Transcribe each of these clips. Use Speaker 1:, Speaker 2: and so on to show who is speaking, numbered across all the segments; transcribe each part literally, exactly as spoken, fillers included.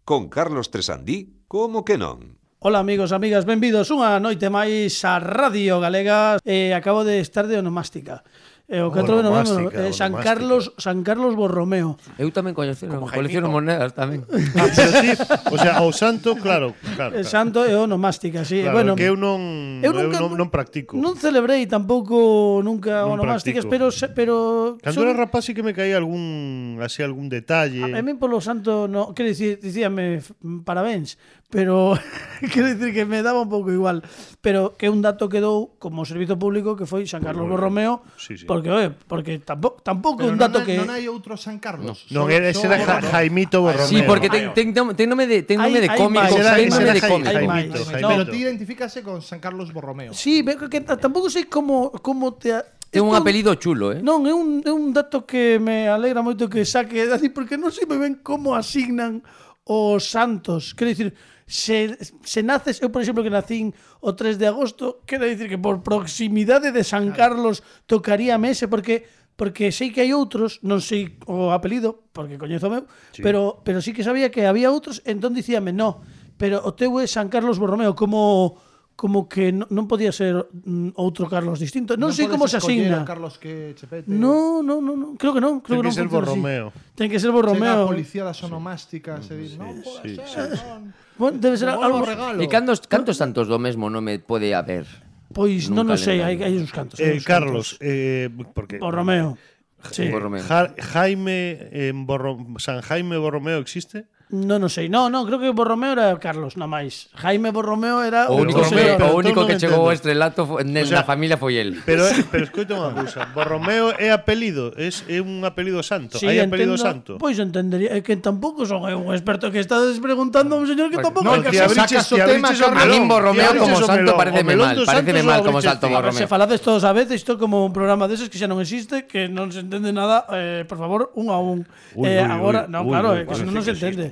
Speaker 1: Con Carlos Tresandí, como que non?
Speaker 2: Ola amigos, amigas, benvidos unha noite máis a Radio Galega. eh, Acabo de estar de onomástica. E o catro de novembro, eh, San Carlos, San Carlos Borromeo.
Speaker 3: Eu tamén colecciono, colecciono monedas tamén.
Speaker 4: Ah, pero ti, o sea, o santo, claro, claro.
Speaker 2: claro. Santo e onomástica, sí.
Speaker 4: Claro,
Speaker 2: bueno,
Speaker 4: que eu non
Speaker 2: eu,
Speaker 4: eu
Speaker 2: nunca,
Speaker 4: non, non practico.
Speaker 2: Non celebrei tampouco nunca
Speaker 4: Non
Speaker 2: onomásticas,
Speaker 4: practico.
Speaker 2: pero pero
Speaker 4: Cando era rapaz sí que me caía algún así algún detalle.
Speaker 2: A mí polo santo no, quero dicir, dicíame parabéns, pero quero dicir que me daba un pouco igual, pero que un dato quedou como servizo público que foi San Carlos Borromeo,
Speaker 4: sí, sí.
Speaker 2: porque oe, porque tampouco tampouco
Speaker 5: Pero
Speaker 2: un dato
Speaker 5: non,
Speaker 2: que
Speaker 5: non hai outro San Carlos.
Speaker 4: Non, era ese era Ja- Jaimito Borromeo.
Speaker 3: Sí, porque ten, ten, ten nome de, ten nome de
Speaker 2: Hai- hai
Speaker 3: cómico,
Speaker 2: máis,
Speaker 3: ten
Speaker 2: hai
Speaker 3: nome
Speaker 2: máis,
Speaker 3: de
Speaker 4: hai
Speaker 3: cómico.
Speaker 2: hai
Speaker 4: Jaimito,
Speaker 2: máis.
Speaker 4: Jaimito.
Speaker 5: Pero ti identifícase con San Carlos Borromeo.
Speaker 2: Sí, veo que t- tampouco sei como como te
Speaker 3: Ten un
Speaker 2: Isto-
Speaker 3: apelido chulo, eh?
Speaker 2: Non, é un, é un dato que me alegra moito que saque Dani, porque non sei moi ben como asignan os santos. Quero dicir, se, se naces, eu por exemplo que nacín o tres de agosto, quero dicir que por proximidade de San Carlos tocaríame ese, porque porque sei que hai outros, non sei o apelido, porque coñezo o meu, sí. pero, pero sí que sabía que había outros, entón dicíame, no, pero o teu é San Carlos Borromeo, como como que non, non podía ser mm, outro Carlos distinto. Non, non sei como se asigna.
Speaker 5: Carlos que chepete.
Speaker 2: No, no, no, no, creo que non, creo
Speaker 4: Ten
Speaker 2: que non
Speaker 4: que ser
Speaker 2: funciona así.
Speaker 4: Borromeo.
Speaker 2: Ten que ser
Speaker 5: Chega a
Speaker 2: Borromeo.
Speaker 5: policía das onomásticas e di, non pode
Speaker 4: sí,
Speaker 5: ser, non.
Speaker 2: Bueno, debe ser
Speaker 5: Non
Speaker 2: algo.
Speaker 5: o regalo.
Speaker 3: E cantos, cantos santos do mesmo nome pode haber?
Speaker 2: Pois non
Speaker 3: Nunca
Speaker 2: o sei,
Speaker 3: lembrei.
Speaker 2: hai hai uns cantos.
Speaker 4: Eh,
Speaker 2: hai uns
Speaker 4: Carlos,
Speaker 2: cantos.
Speaker 4: eh, porque
Speaker 2: Borromeo. Sí.
Speaker 3: Borromeo.
Speaker 4: Ja- Jaime en Borro, San Jaime Borromeo existe?
Speaker 2: Non o sei. No, no, creo que Borromeo era Carlos, na máis. Jaime Borromeo era
Speaker 3: O
Speaker 2: o
Speaker 3: único,
Speaker 2: José-
Speaker 4: Borromeo,
Speaker 3: que,
Speaker 4: pero
Speaker 3: o único
Speaker 4: entón
Speaker 3: que
Speaker 4: non
Speaker 3: chegou ao
Speaker 4: entendo.
Speaker 3: estrelato fo- na
Speaker 4: O sea,
Speaker 3: familia foi el.
Speaker 4: Pero pero escoita unha cousa, Borromeo é apelido, é, é un apelido santo,
Speaker 2: Sí,
Speaker 4: hai apelido
Speaker 2: entendo.
Speaker 4: santo.
Speaker 2: Pois entendería, é que tampouco son eu un experto que estás preguntando a un señor que tampouco
Speaker 5: No,
Speaker 2: hai que
Speaker 5: ti
Speaker 2: saber.
Speaker 5: abriches
Speaker 4: ti
Speaker 5: o tema,
Speaker 4: abriches o
Speaker 5: Carlos.
Speaker 3: A
Speaker 4: melón,
Speaker 3: min Borromeo
Speaker 4: ti
Speaker 3: como
Speaker 4: abriches o
Speaker 3: santo
Speaker 4: melón.
Speaker 3: pareceme
Speaker 4: O melón
Speaker 3: mal,
Speaker 4: dos
Speaker 3: pareceme
Speaker 4: santos
Speaker 3: mal
Speaker 4: o
Speaker 3: como
Speaker 4: abriches
Speaker 3: salto
Speaker 4: ti.
Speaker 3: Borromeo.
Speaker 2: Se falades todos a vez, isto como un programa deses que xa non existe, que non se entende nada, eh, por favor, un a un.
Speaker 4: Uy,
Speaker 2: eh,
Speaker 4: uy,
Speaker 2: agora,
Speaker 4: uy,
Speaker 2: non,
Speaker 4: uy,
Speaker 2: claro,
Speaker 4: uy,
Speaker 2: eh, que
Speaker 4: parece
Speaker 2: senón non se
Speaker 4: que
Speaker 2: entende.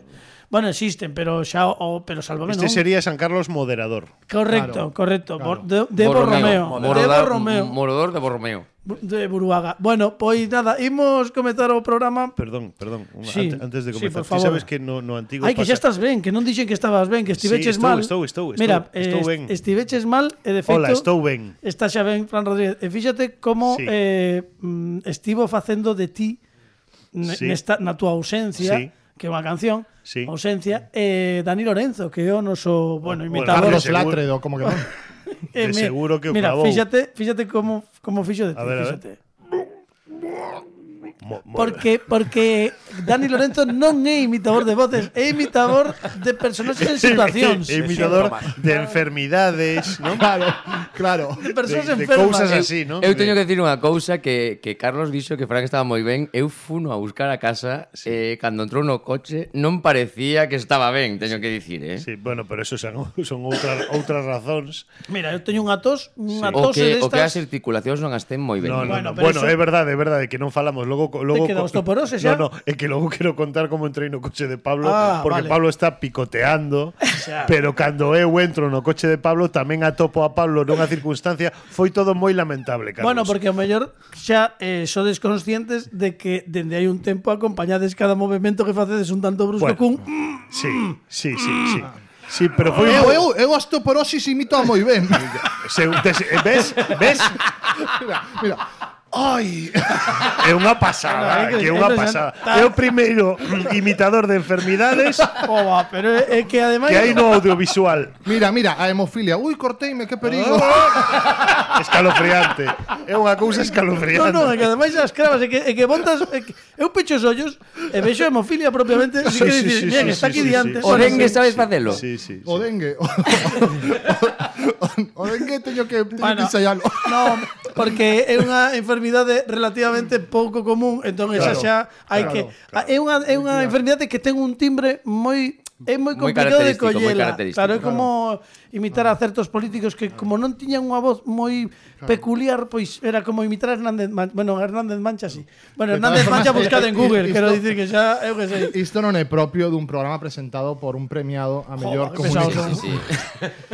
Speaker 2: Bueno, existen, pero xa o pero sálvame,
Speaker 4: Este
Speaker 2: non.
Speaker 4: sería San Carlos moderador.
Speaker 2: Correcto,
Speaker 5: Claro,
Speaker 2: correcto.
Speaker 5: claro.
Speaker 2: Bor- De, de Borromeo. De
Speaker 3: Morodar-
Speaker 2: Borromeo.
Speaker 3: Morodor de Borromeo.
Speaker 2: De Buruaga. Bueno, pois nada, imos comezar o programa.
Speaker 4: Perdón, perdón, unha-
Speaker 2: Sí,
Speaker 4: ante- antes de
Speaker 2: sí,
Speaker 4: comezar.
Speaker 2: por
Speaker 4: Ti
Speaker 2: favor.
Speaker 4: sabes que no, no antigo
Speaker 2: Ai, que
Speaker 4: pasa...
Speaker 2: xa estás ben, que non dixen que estabas ben, que estiveches
Speaker 4: Sí, estou,
Speaker 2: mal.
Speaker 4: estou, estou, estou,
Speaker 2: Mira,
Speaker 4: estou
Speaker 2: eh,
Speaker 4: ben.
Speaker 2: estiveches mal e de feito
Speaker 4: Hola, estou ben.
Speaker 2: Está xa ben, Fran Rodríguez. E fíxate como
Speaker 4: Sí.
Speaker 2: eh, mm, estivo facendo de ti ne-
Speaker 4: Sí.
Speaker 2: nesta, na túa ausencia,
Speaker 4: Sí.
Speaker 2: que é unha canción,
Speaker 4: Sí.
Speaker 2: ausencia, e Dani Lorenzo, que é o noso, bueno,
Speaker 4: bueno,
Speaker 2: imitador.
Speaker 5: Carlos
Speaker 4: seguro.
Speaker 5: Látredo, como que non?
Speaker 2: Eh,
Speaker 4: de
Speaker 2: mi-
Speaker 4: seguro que o
Speaker 2: Mira,
Speaker 4: clavou.
Speaker 2: fíxate, fíxate como, como fixo de ti,
Speaker 4: A ver, a ver.
Speaker 2: fíxate.
Speaker 4: Mo- mo-
Speaker 2: Porque, porque Dani Lorenzo non é imitador de voces, é imitador de personaxes en situacións.
Speaker 4: É imitador de enfermidades, ¿no?
Speaker 5: Claro, claro.
Speaker 2: De persoas
Speaker 4: de, de
Speaker 2: enfermas.
Speaker 4: cousas así, ¿no?
Speaker 3: Eu teño
Speaker 4: De-
Speaker 3: que decir unha cousa que, que Carlos dixo que Fran estaba moi ben. Eu funo a buscar a casa sí. eh, cando entrou no coche non parecía que estaba ben, teño que dicir, eh?
Speaker 4: Sí, bueno, pero eso son, son outras outras razóns.
Speaker 2: Mira, eu teño unha tos, unha
Speaker 3: O
Speaker 2: tose
Speaker 3: que, o que as
Speaker 2: destas.
Speaker 3: articulacións non as ten moi ben.
Speaker 4: No, no,
Speaker 2: Bueno,
Speaker 4: no.
Speaker 2: pero
Speaker 4: Bueno,
Speaker 2: eso-
Speaker 4: é verdade, é verdade que non falamos. Logo, logo
Speaker 2: queda osteoporose xa?
Speaker 4: No, no, é que logo quero contar como entrei no coche de Pablo,
Speaker 2: Ah,
Speaker 4: porque
Speaker 2: vale.
Speaker 4: Pablo está picoteando,
Speaker 2: Xa.
Speaker 4: pero cando eu entro no coche de Pablo tamén atopo a Pablo nunha circunstancia, foi todo moi lamentable, Carlos.
Speaker 2: Bueno, porque ao mellor xa eh, sodes conscientes de que dende hai un tempo acompañades cada movimento que facedes un tanto brusco
Speaker 4: Bueno.
Speaker 2: cun
Speaker 4: Sí, sí, sí, sí. Sí, pero foi
Speaker 5: Eu, eu, eu osteoporosis imito moi ben.
Speaker 4: Se, te- ves? Ves?
Speaker 5: Mira, mira. Ai,
Speaker 4: É unha pasada,
Speaker 2: Bueno, é que-
Speaker 4: que é unha
Speaker 2: é que-
Speaker 4: pasada.
Speaker 2: tá-
Speaker 4: É o primeiro imitador de enfermidades
Speaker 2: Oba, pero é é que ademais
Speaker 4: que hai no audiovisual.
Speaker 5: mira, mira, a hemofilia. Ui, corteime, que perigo.
Speaker 4: Escalofriante. É unha cousa
Speaker 2: No,
Speaker 4: escalofriante.
Speaker 2: no, é que ademais as cravas é que, é que botas é que, eu pecho os ollos e vexo hemofilia propiamente, así que
Speaker 4: Sí, sí,
Speaker 2: dicir,
Speaker 4: sí,
Speaker 2: bien,
Speaker 4: sí,
Speaker 2: está
Speaker 4: sí,
Speaker 2: aquí
Speaker 4: sí,
Speaker 2: diante.
Speaker 4: sí.
Speaker 3: O
Speaker 2: Bueno,
Speaker 3: dengue
Speaker 2: sí.
Speaker 3: sabes facelo?
Speaker 4: Sí, sí, sí.
Speaker 5: O dengue. O, o, o dengue teño que, teño
Speaker 2: Bueno,
Speaker 5: que ensayarlo.
Speaker 2: No, porque é unha enfermidade relativamente pouco común, entón esa
Speaker 4: Claro,
Speaker 2: xa hai
Speaker 5: claro,
Speaker 2: que é unha é unha enfermidade que ten un timbre moi é moi
Speaker 3: Moi
Speaker 2: complicado de
Speaker 3: característico, moi
Speaker 2: collela.
Speaker 3: característico.
Speaker 2: Claro, é como imitar a certos políticos que como non tiñan unha voz moi peculiar, pois era como imitar a Hernández Mancha. Bueno, Hernández Mancha sí. Bueno, Hernández Mancha buscado en Google, quero dicir que xa eu que sei.
Speaker 5: Isto non é propio dun programa presentado por un premiado a mellor
Speaker 2: Joder, pesados
Speaker 5: comunicación.
Speaker 2: son.
Speaker 3: Sí.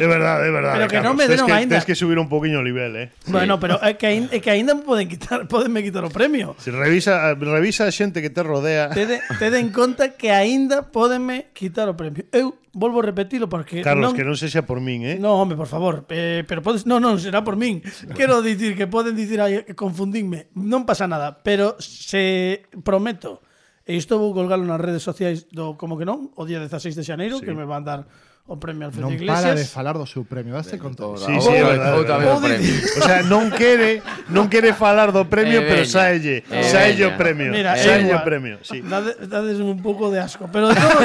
Speaker 4: É verdade, é verdade.
Speaker 2: Pero que non
Speaker 4: Carlos.
Speaker 2: me
Speaker 4: Tes
Speaker 2: deron
Speaker 4: que,
Speaker 2: aínda.
Speaker 4: Tens que subir un poquinho o nivel, eh.
Speaker 2: Bueno, pero é que aínda, é que aínda me poden quitar, podenme quitar o premio.
Speaker 4: Se revisa, revisa a xente que te rodea.
Speaker 2: Tede, tede en conta que aínda pódenme quitar o premio. Eu volvo a repetilo porque
Speaker 4: Carlos,
Speaker 2: non,
Speaker 4: que non sexa por min, eh?
Speaker 2: No, home, por favor, eh, pero podes, no, non, será por min. Quero dicir que poden dicir aí que confundinme, non pasa nada, pero se prometo, e isto vou colgalo nas redes sociais do como que non, o día dezaseis de xaneiro, sí. que me van dar o premio Alfredo
Speaker 5: Non
Speaker 2: Iglesias.
Speaker 5: para de falar do seu premio, daste conta.
Speaker 4: Sí, sí, é verdade.
Speaker 3: Outra vez o premio.
Speaker 4: O sea, non quere, non quere falar do premio,
Speaker 3: Eh,
Speaker 4: pero
Speaker 3: veña.
Speaker 4: sáelle,
Speaker 3: Eh,
Speaker 4: sáelle o
Speaker 3: veña.
Speaker 4: premio.
Speaker 2: Mira, é
Speaker 4: sáelle o
Speaker 2: igual.
Speaker 4: premio, sí.
Speaker 2: Dade, dades un pouco de asco, pero de todo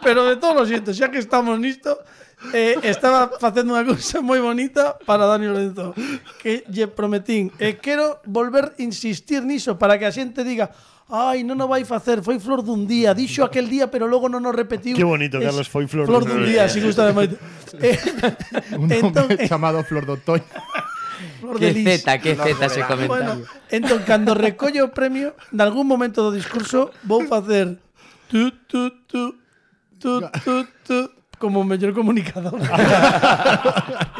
Speaker 2: pero de todo lo siento, xa que estamos nisto, eh, estaba facendo unha cousa moi bonita para Dani Lorenzo, que lle prometín, e eh, quero volver a insistir niso para que a xente diga: ai, non o vai facer, foi flor dun día, dixo aquel día, pero logo non o repetiu.
Speaker 4: Qué bonito, Carlos, foi flor
Speaker 2: flor
Speaker 4: dun
Speaker 2: dun
Speaker 4: día.
Speaker 2: día, si gusta de moito. Eh,
Speaker 5: Un
Speaker 2: entón,
Speaker 5: nome
Speaker 2: eh,
Speaker 5: chamado Flor do Otoño.
Speaker 2: flor de
Speaker 3: Que
Speaker 2: lis.
Speaker 3: zeta, que zeta ese
Speaker 2: Bueno,
Speaker 3: comentario.
Speaker 2: entón, cando recollo o premio, nalgún momento do discurso vou facer tu, tu, tu, tu, tu, tu, como mellor comunicador.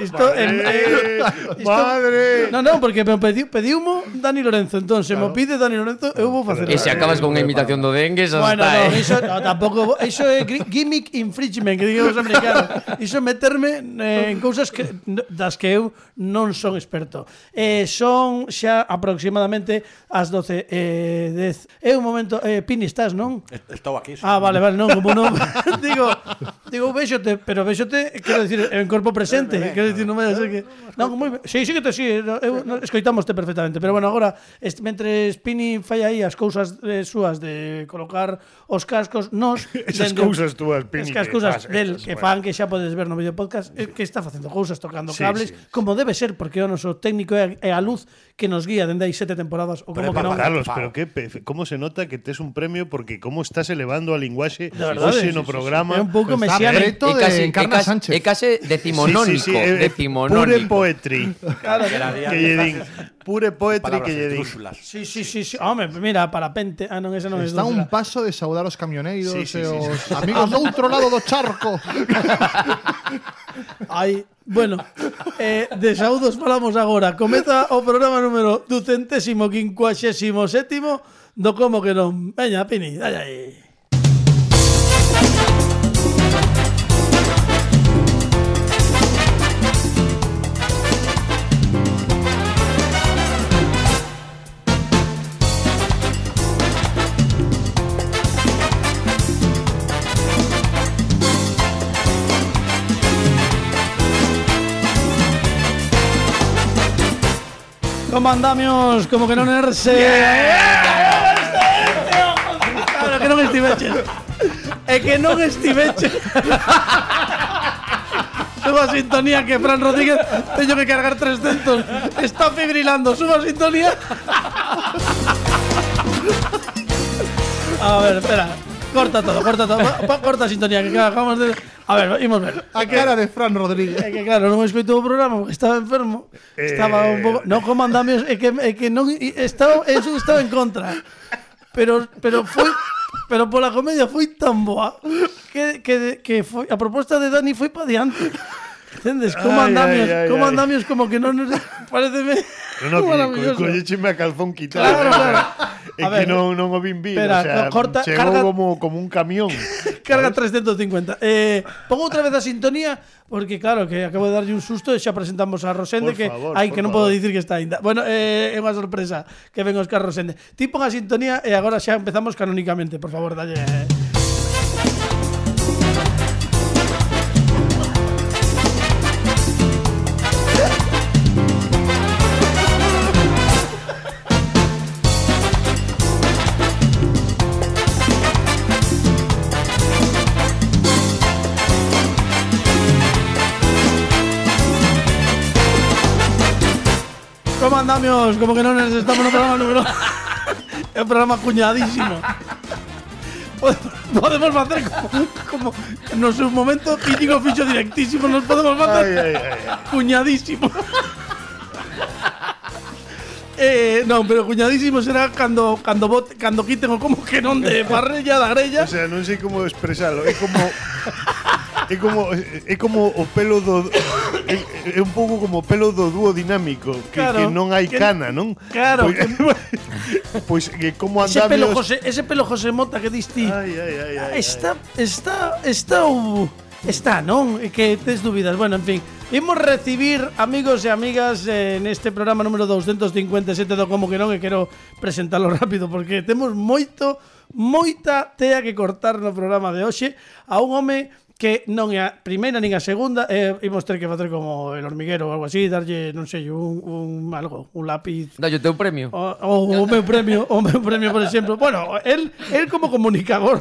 Speaker 2: Isto en, eh, isto,
Speaker 4: Madre.
Speaker 2: No, no, porque me pediu, pediumo Dani Lorenzo, entón se me pide Dani Lorenzo, eu vou facer.
Speaker 3: E se acabas con unha imitación do dengue, xa
Speaker 2: Bueno,
Speaker 3: está,
Speaker 2: no,
Speaker 3: eh.
Speaker 2: iso no, tampouco, iso é gri- gimmick infringement, que digamos americanos. Iso é meterme eh, en cousas que das que eu non son experto. Eh, son xa aproximadamente as doce e dez. É un momento, eh, Pini, estás, non?
Speaker 6: Estou aquí.
Speaker 2: Ah, vale, vale, non, como non. digo, digo, véxote, pero véxote, quero dicir, en corpo presente, quero dicir, non vai a ser que non, moi ben. Sí, sí que te sí, eu no, escoitamoste perfectamente, pero bueno, agora est, mentre Pini fai aí as cousas eh, súas de colocar os cascos, nos
Speaker 4: Esas
Speaker 2: dende-
Speaker 4: cousas túas, Pini.
Speaker 2: Esas
Speaker 4: que
Speaker 2: cousas
Speaker 4: fas,
Speaker 2: del
Speaker 4: esas,
Speaker 2: que
Speaker 4: bueno.
Speaker 2: fan que xa podes ver no vídeo podcast, eh, que está facendo cousas, tocando
Speaker 4: Sí,
Speaker 2: cables,
Speaker 4: sí.
Speaker 2: como debe ser, porque é o noso técnico e a, e a luz que nos guía dende aí sete temporadas, ou como que non.
Speaker 4: Carlos, pero que pe- como se nota que tes un premio porque como estás elevando a linguaxe
Speaker 2: De verdade,
Speaker 4: hoxe
Speaker 2: sí,
Speaker 4: no
Speaker 2: sí, sí.
Speaker 4: programa.
Speaker 2: É un pouco
Speaker 5: Está
Speaker 2: mesiánico.
Speaker 5: preto de Encarna
Speaker 3: casi,
Speaker 5: Sánchez.
Speaker 3: é case decimonónico,
Speaker 4: é- é
Speaker 3: decimonónico.
Speaker 4: Pure poetry.
Speaker 2: Claro,
Speaker 4: que lle din. Pure poetry
Speaker 6: Palabras
Speaker 4: que lle din.
Speaker 6: estrúxulas.
Speaker 2: sí, sí, sí, sí. Home, mira, parapente. Ah, non, esa non é
Speaker 5: Está a un
Speaker 2: dúsela.
Speaker 5: paso de saudar os camioneiros
Speaker 4: Sí, sí,
Speaker 5: e
Speaker 4: sí,
Speaker 5: os amigos do outro lado do charco.
Speaker 2: Ai, bueno, eh, de saúdos falamos agora. Comeza o programa número ducentésimo quincuaxésimo sétimo do Como que non. Veña, Pini, dai aí. Como andamios, como que non erse. Claro que non estiveches. É que non estiveches. Suba a sintonía que Fran Rodríguez teño que cargar trescentos. Está fibrilando. Suba a sintonía. A ver, espera. Corta todo, corta todo. Pa- pa- Corta a sintonía que acabamos de... A ver, imos ver.
Speaker 5: A cara de Fran Rodríguez.
Speaker 2: É que claro, non escoitou o programa porque estaba enfermo. Estaba un pouco, non como andamios, é que é que non estaba, eso estaba en contra. Pero pero foi pero pola comedia foi tan boa que que que foi a proposta de Dani foi pa diante. Entendes? Como
Speaker 4: Ay,
Speaker 2: andamios,
Speaker 4: ay, ay,
Speaker 2: como
Speaker 4: ay.
Speaker 2: andamios como que non nos pareceme
Speaker 4: No, no, que
Speaker 2: maravilloso.
Speaker 4: co- collécheme a calzón quitado.
Speaker 2: Claro, claro.
Speaker 4: É
Speaker 2: A
Speaker 4: que
Speaker 2: ver,
Speaker 4: non, non o vin vir,
Speaker 2: espera,
Speaker 4: o sea,
Speaker 2: co- corta,
Speaker 4: chegou
Speaker 2: carga-
Speaker 4: como, como un camión.
Speaker 2: Carga trescentos cincuenta. Eh, pongo outra vez a sintonía porque claro, que acabo de darlle un susto e xa presentamos a Rosende
Speaker 4: Por
Speaker 2: que
Speaker 4: favor,
Speaker 2: ai
Speaker 4: por
Speaker 2: que non
Speaker 4: favor.
Speaker 2: podo dicir que está ainda. Bueno, eh, é unha sorpresa que ven Óscar Rosende. Ti pon a sintonía e agora xa empezamos canónicamente, por favor, dalle. eh. Como andamios, como que non nos estamos no programa número é un programa cuñadísimo. Podemos, podemos facer como, como no seu momento Íñigo fixo directísimo, nos podemos facer
Speaker 4: Ai, ai, ai.
Speaker 2: cuñadísimo. eh, non, pero cuñadísimo será cando cando bote, cando quiten o como que non de parrella da grella.
Speaker 4: O sea, non sei como expresalo, é como é como é como o pelo do é, é un pouco como o pelo do dúo dinámico que,
Speaker 2: Claro,
Speaker 4: que non hai
Speaker 2: que-
Speaker 4: cana, non?
Speaker 2: Claro,
Speaker 4: Pois, pois que como
Speaker 2: Ese pelo
Speaker 4: andamios
Speaker 2: José, ese pelo José Mota que diste.
Speaker 4: Ai, ai, ai, ai,
Speaker 2: Está, está, está, uh, está, non? É que tes dúbidas. Bueno, en fin, imos recibir amigos e amigas eh, neste programa número doscientos cincuenta e sete do Como que non, e quero presentalo rápido porque temos moito, moita tea que cortar no programa de hoxe a un home que non é a primeira nin a segunda, eh, imos ter que facer como el hormiguero ou algo así, darlle, non sei, un, un algo, un lápiz.
Speaker 3: Dalle o teu premio.
Speaker 2: O, o, o meu premio, o meu premio, por exemplo. Bueno, él, él como comunicador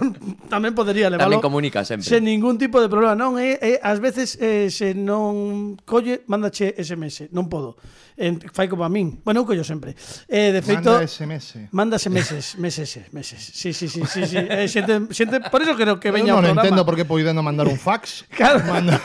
Speaker 2: tamén podería leválo
Speaker 3: Tamén comunica sempre.
Speaker 2: sen ningún tipo de problema. Non, é, é ás veces eh, se non colle, mándache S M S, non podo. En, fai como a min. Bueno, eu collo sempre. Eh, de feito,
Speaker 5: Manda S M S.
Speaker 2: mándase meses, meses, meses. Sí, sí, sí, sí, sí. Eh, xente, xente, por eso creo que
Speaker 5: Eu
Speaker 2: veña
Speaker 5: non
Speaker 2: ao programa.
Speaker 5: entendo por que podendo mandar un fax.
Speaker 2: Claro.
Speaker 5: Manda.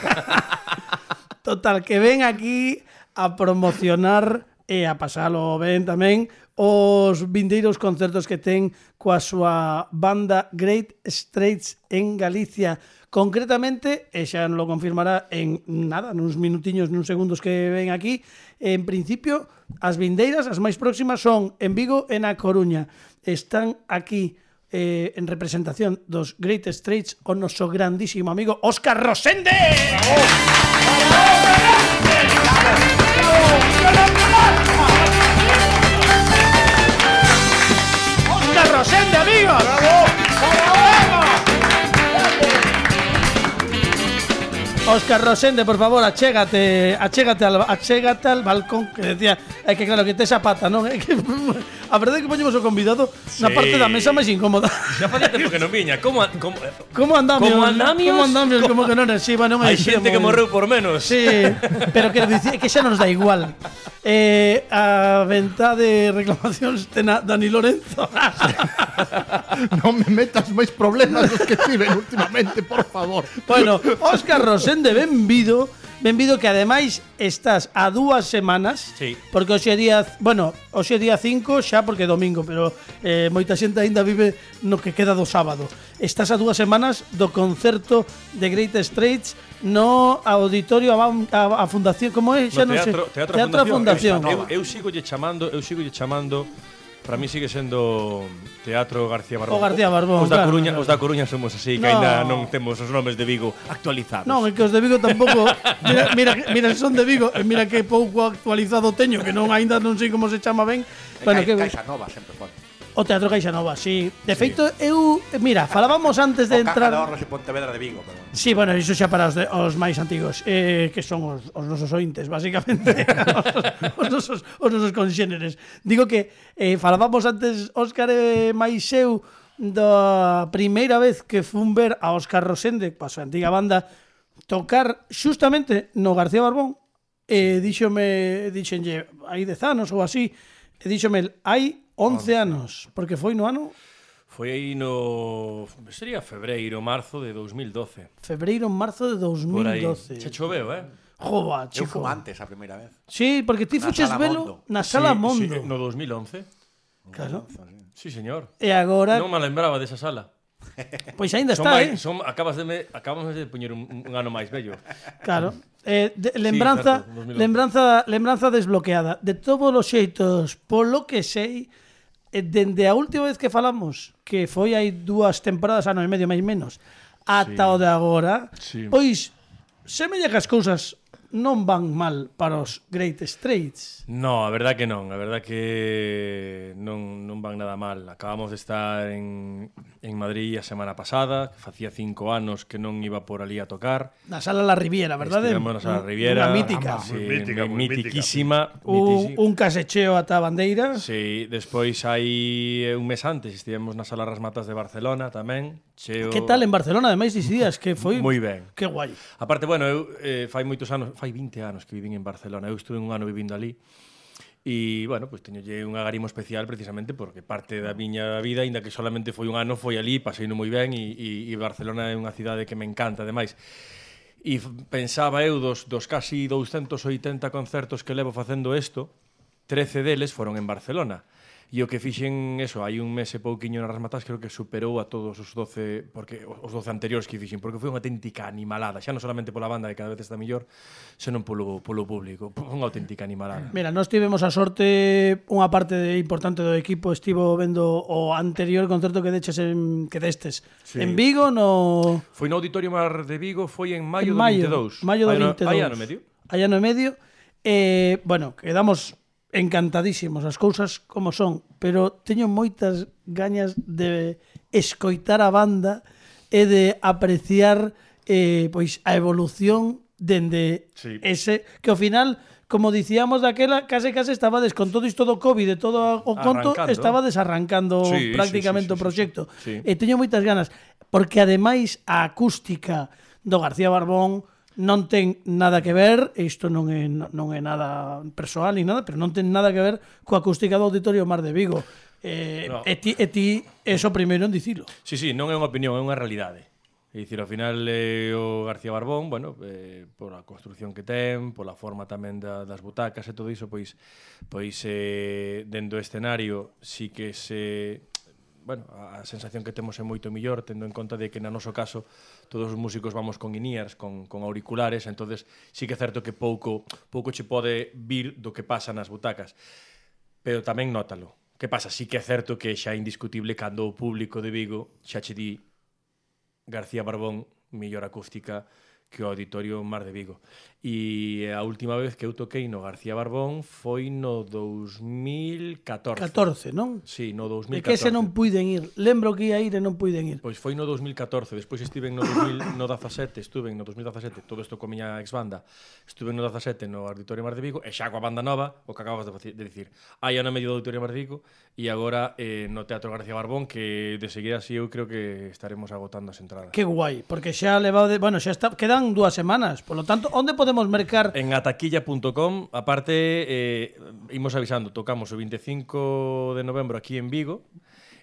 Speaker 2: Total, que ven aquí a promocionar e a pasalo ben tamén os vindeiros concertos que ten coa súa banda Great Straits en Galicia. Concretamente, e xa lo confirmará en nada, nuns minutiños, nuns segundos que ven aquí, en principio, as vindeiras, as máis próximas, son en Vigo e na Coruña. Están aquí eh, en representación dos Great Straits o noso grandísimo amigo Óscar Rosende. ¡Óscar Rosende, amigos! Óscar Rosende, por favor, achégate, achégate al, achégate al balcón, que decía, é que claro, que tes a pata, non? É que a verdade é que poñemos o convidado na parte da mesa máis incómoda.
Speaker 6: Xa facía tempo que non viña. Como, a- como
Speaker 2: Como andamios?
Speaker 6: Como andamios?
Speaker 2: Como andamios, como que non é, sí, bueno, non
Speaker 6: hai xente que morreu por menos.
Speaker 2: Sí, pero quero dicir que xa nos dá igual. Eh, a venta de reclamacións ten a Dani Lorenzo.
Speaker 5: Non me metas máis problemas dos que tiven últimamente, por favor.
Speaker 2: Bueno, Óscar Rosende, benvido. Benvido que ademais estás a dúas semanas.
Speaker 6: Sí.
Speaker 2: Porque hoxe é día, bueno, hoxe é día cinco xa porque é domingo, pero eh, moita xente aínda vive no que queda do sábado. Estás a dúas semanas do concerto de Great Straits no auditorio a, a, a fundación, como é? Xa
Speaker 6: No
Speaker 2: non sei.
Speaker 6: teatro, teatro,
Speaker 2: teatro a Fundación.
Speaker 6: Eu, eu sigo lle chamando, eu sigo lle chamando. Para mí sigue sendo Teatro García Barbón.
Speaker 2: O García Barbón,
Speaker 6: Os da
Speaker 2: claro,
Speaker 6: Coruña,
Speaker 2: claro.
Speaker 6: os da Coruña somos así, que
Speaker 2: No.
Speaker 6: aínda non temos os nomes de Vigo actualizados.
Speaker 2: Non, é que os de Vigo tampouco. Mira, mira, mira se son de Vigo, e mira que pouco actualizado teño, que non aínda non sei como se chama ben. Bueno, que
Speaker 7: Caixa Nova sempre foi.
Speaker 2: o Teatro Caixa Nova, sí. De feito, eu, mira, falábamos antes de
Speaker 7: O Caja de
Speaker 2: entrar.
Speaker 7: Ahorros e Pontevedra de Vigo, pero...
Speaker 2: Sí, bueno, iso xa para os, de, os máis antigos, eh, que son os, os nosos ointes, basicamente, os, os nosos, os nosos conxéneres. Digo que eh, falábamos antes, Óscar e máis eu, da primeira vez que fun ver a Óscar Rosende, pa súa antiga banda, tocar xustamente no García Barbón, e díxome, díxenlle, hai dez anos ou así, e díxome, hai once anos, porque foi no ano
Speaker 6: Foi aí no... sería febreiro, marzo de dous mil doce.
Speaker 2: febreiro, marzo de
Speaker 6: Por aí.
Speaker 2: dos mil doce.
Speaker 6: Che choveu, eh?
Speaker 2: Jova,
Speaker 7: Eu
Speaker 2: chico.
Speaker 7: fui antes a primeira vez.
Speaker 2: Sí, porque ti
Speaker 7: Na
Speaker 2: fuches
Speaker 7: Sala
Speaker 2: velo
Speaker 7: Mondo.
Speaker 2: na Sala
Speaker 6: Sí,
Speaker 2: Mondo.
Speaker 6: Sí, no dos mil once.
Speaker 2: Claro.
Speaker 6: Sí, señor.
Speaker 2: E agora,
Speaker 6: Non me lembraba desa sala.
Speaker 2: pois aínda
Speaker 6: Son
Speaker 2: está,
Speaker 6: máis-
Speaker 2: eh?
Speaker 6: son, acabas de me, acabamos de poñer un, un ano máis bello.
Speaker 2: Claro. Eh, de, lembranza,
Speaker 6: certo, dos mil once.
Speaker 2: lembranza, lembranza desbloqueada. De todos os xeitos, polo que sei, eh, dende a última vez que falamos, que foi hai dúas temporadas, ano e medio máis menos, ata o de agora,
Speaker 6: Sí.
Speaker 2: pois semella que as cousas non van mal para os Great Straits.
Speaker 6: No, a verdad que non, a verdad que non, non van nada mal. Acabamos de estar en, en Madrid a semana pasada, que facía cinco anos que non iba por ali a tocar.
Speaker 2: Na Sala La Riviera, verdade?
Speaker 6: Estivemos na Sala Riviera.
Speaker 2: Unha mítica.
Speaker 6: Sí,
Speaker 4: Moi mítica,
Speaker 6: mi-
Speaker 4: moi
Speaker 6: mitiquísima.
Speaker 2: Un,
Speaker 6: mitici-
Speaker 2: un casecheo ata a bandeira.
Speaker 6: Sí, despois hai un mes antes estivemos na Sala Ras Matas de Barcelona tamén. Cheo...
Speaker 2: Que tal en Barcelona, ademais, dix días, que foi...
Speaker 6: Moi ben.
Speaker 2: Que guai.
Speaker 6: Aparte, bueno, eu eh, fai moitos anos, fai vinte anos que vivín en Barcelona. Eu estuve un ano vivindo ali. E, bueno, pois pues, teñolle un agarimo especial precisamente porque parte da miña vida, aínda que solamente foi un ano, foi ali, paseino moi ben e, e, e Barcelona é unha cidade que me encanta, ademais. E f- pensaba eu dos, dos casi douscentos oitenta concertos que levo facendo isto, trece deles foron en Barcelona. E o que fixen, eso, hai un mes e pouquiño nas Rasmatas, creo que superou a todos os doce, porque os doce anteriores que fixen, porque foi unha auténtica animalada, xa non solamente pola banda que cada vez está mellor, senón polo, polo público, unha auténtica animalada.
Speaker 2: Mira, nós tivemos a sorte, unha parte de, importante do equipo estivo vendo o anterior concerto que deches en, que destes
Speaker 6: Sí.
Speaker 2: en Vigo, no...
Speaker 6: Foi no Auditorio Mar de Vigo, foi en
Speaker 2: en
Speaker 6: maio,
Speaker 2: mayo,
Speaker 6: do vinte e dous.
Speaker 2: maio do
Speaker 6: Hai ano-
Speaker 2: vinte e dous.
Speaker 6: Hai ano e medio.
Speaker 2: Hai ano e medio. Eh, bueno, quedamos encantadísimos as cousas como son, pero teño moitas gañas de escoitar a banda e de apreciar eh, pois a evolución dende
Speaker 6: Sí.
Speaker 2: ese que ao final, como dicíamos daquela, case case estabades con todo isto do COVID e todo o conto,
Speaker 6: Arrancando.
Speaker 2: estaba desarrancando
Speaker 6: Sí,
Speaker 2: prácticamente
Speaker 6: sí, sí,
Speaker 2: o
Speaker 6: sí,
Speaker 2: proxecto.
Speaker 6: sí, sí.
Speaker 2: E teño moitas ganas, porque ademais a acústica do García Barbón non ten nada que ver, e isto non é, non é nada persoal ni nada, pero non ten nada que ver coa acústica do Auditorio Mar de Vigo. Eh,
Speaker 6: No.
Speaker 2: e ti, e ti é o primeiro en dicilo.
Speaker 6: Sí, sí, non é unha opinión, é unha realidade. É dicir, ao final eh, o García Barbón, bueno, eh, por a construción que ten, pola forma tamén da, das butacas e todo iso, pois pois eh, dentro do escenario sí que se bueno, a sensación que temos é moito millor, tendo en conta de que na noso caso todos os músicos vamos con in-ears, con, con auriculares, entonces sí que é certo que pouco pouco che pode vir do que pasa nas butacas, pero tamén nótalo. Que pasa? Sí que é certo que xa é indiscutible cando o público de Vigo xa che di García Barbón, mellor acústica que o Auditorio Mar de Vigo. E a última vez que eu toquei no García Barbón foi no dous mil catorce.
Speaker 2: catorce, non?
Speaker 6: Sí, no dous
Speaker 2: E
Speaker 6: mil
Speaker 2: que
Speaker 6: catorce.
Speaker 2: ese non puiden ir. Lembro que ia ir e non puiden ir.
Speaker 6: Pois foi no dous mil catorce, despois estive no dos mil dezasete, estuve no dos mil dezasete, todo isto con miña ex-banda, estuve no dezasete no Auditorio Mar de Vigo, e xa coa banda nova, o que acabas de, de dicir, hai ano e medio do Auditorio Mar de Vigo, e agora eh, no Teatro García Barbón, que de seguir así eu creo que estaremos agotando as entradas.
Speaker 2: Que guai, porque xa levado de, bueno, xa está, quedan dúas semanas, por lo tanto, onde podemos mercar?
Speaker 6: En ataquilla punto com, aparte, eh, imos avisando, tocamos o veinticinco de novembro aquí en Vigo,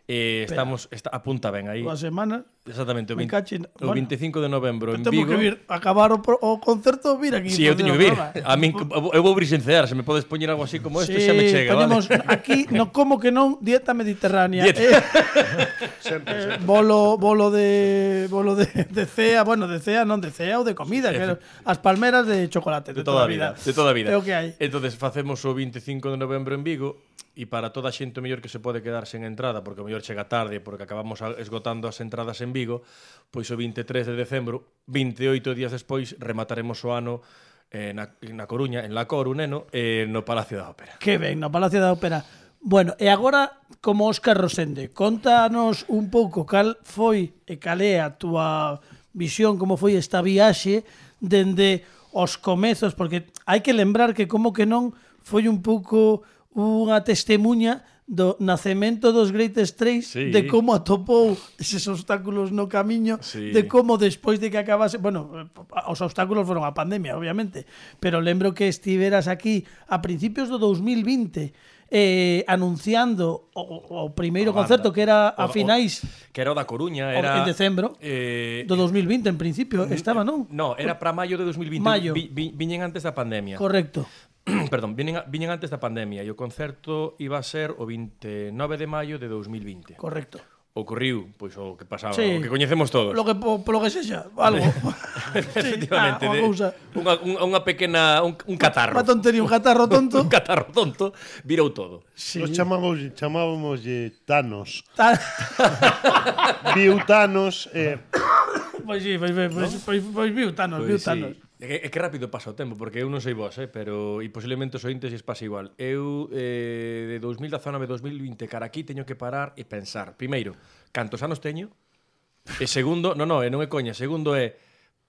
Speaker 6: eh, estamos, está, apunta ben aí.
Speaker 2: Dúas semanas.
Speaker 6: Exactamente, o,
Speaker 2: Me
Speaker 6: veinte,
Speaker 2: cachen-
Speaker 6: o
Speaker 2: bueno,
Speaker 6: veinticinco de novembro en
Speaker 2: Temos
Speaker 6: Vigo.
Speaker 2: que vir, acabar o, pro- o concerto, vir aquí.
Speaker 6: Si, sí, eu
Speaker 2: facer
Speaker 6: teño
Speaker 2: o
Speaker 6: que vir.
Speaker 2: programa.
Speaker 6: A min, eu vou brisencear, se me podes poñer algo así como isto,
Speaker 2: Sí,
Speaker 6: xa me chega,
Speaker 2: ponemos
Speaker 6: vale?
Speaker 2: aquí, no como que non, dieta mediterránea.
Speaker 6: Dieta.
Speaker 2: Eh, eh, bolo bolo de bolo de, de cea, bueno, de cea, non de cea ou de comida, que era as palmeras de chocolate
Speaker 6: De toda a vida, de toda a vida.
Speaker 2: É o que hai.
Speaker 6: Entonces facemos o veinticinco de novembro en Vigo e para toda a xente o mellor que se pode quedar sen entrada, porque o mellor chega tarde, porque acabamos a- esgotando as entradas en Vigo, pois o veintitrés de decembro, veintioito días despois, remataremos o ano eh, na, na Coruña, en La Coru, neno, eh, no Palacio da Ópera.
Speaker 2: Que ben, no Palacio da Ópera. Bueno, e agora, como Óscar Rosende, contanos un pouco cal foi e cal é a túa visión, como foi esta viaxe dende os comezos, porque hai que lembrar que como que non foi un pouco unha testemunha do nacemento dos Greatest Trace,
Speaker 6: Sí.
Speaker 2: de como atopou eses obstáculos no camiño,
Speaker 6: Sí.
Speaker 2: de como despois de que acabase, bueno, os obstáculos foron a pandemia, obviamente, pero lembro que estiveras aquí a principios do dous mil vinte eh, anunciando o, o primeiro
Speaker 6: A banda.
Speaker 2: concerto que era a
Speaker 6: O- o-
Speaker 2: finais
Speaker 6: Que era o da
Speaker 2: o-
Speaker 6: Coruña, era...
Speaker 2: en decembro
Speaker 6: Eh,
Speaker 2: do dous mil vinte, en principio, estaba, non?
Speaker 6: No, era para maio de dos mil vinte.
Speaker 2: Maio.
Speaker 6: Vi, vi, viñen antes da pandemia.
Speaker 2: Correcto.
Speaker 6: Perdón, viñen, a- viñen antes da pandemia e o concerto iba a ser o veintinueve de maio de dos mil vinte.
Speaker 2: Correcto.
Speaker 6: Ocorriu, pois o que pasaba,
Speaker 2: Sí.
Speaker 6: o que coñecemos todos.
Speaker 2: Lo que po, polo que sexa, algo.
Speaker 6: Efectivamente,
Speaker 2: ah,
Speaker 6: de,
Speaker 2: unha cousa.
Speaker 6: unha, unha, unha pequena, un, un catarro.
Speaker 2: Unha tontería, un catarro tonto.
Speaker 6: un catarro tonto, virou todo.
Speaker 2: Sí.
Speaker 4: Nos chamamos, chamábamos Thanos.
Speaker 2: Ta-
Speaker 4: Viu Thanos, eh,
Speaker 2: Pois sí, pois, pois, pois, pois, pois viu Thanos, viu
Speaker 6: Pois
Speaker 2: Thanos.
Speaker 6: sí. É que, é que rápido pasa o tempo, porque eu non sei vos, eh, pero e posiblemente os ointes lles pasa igual. Eu eh, de dos mil dezanove a dos mil vinte cara aquí teño que parar e pensar. Primeiro, cantos anos teño? E segundo, non, non, e non é coña, segundo é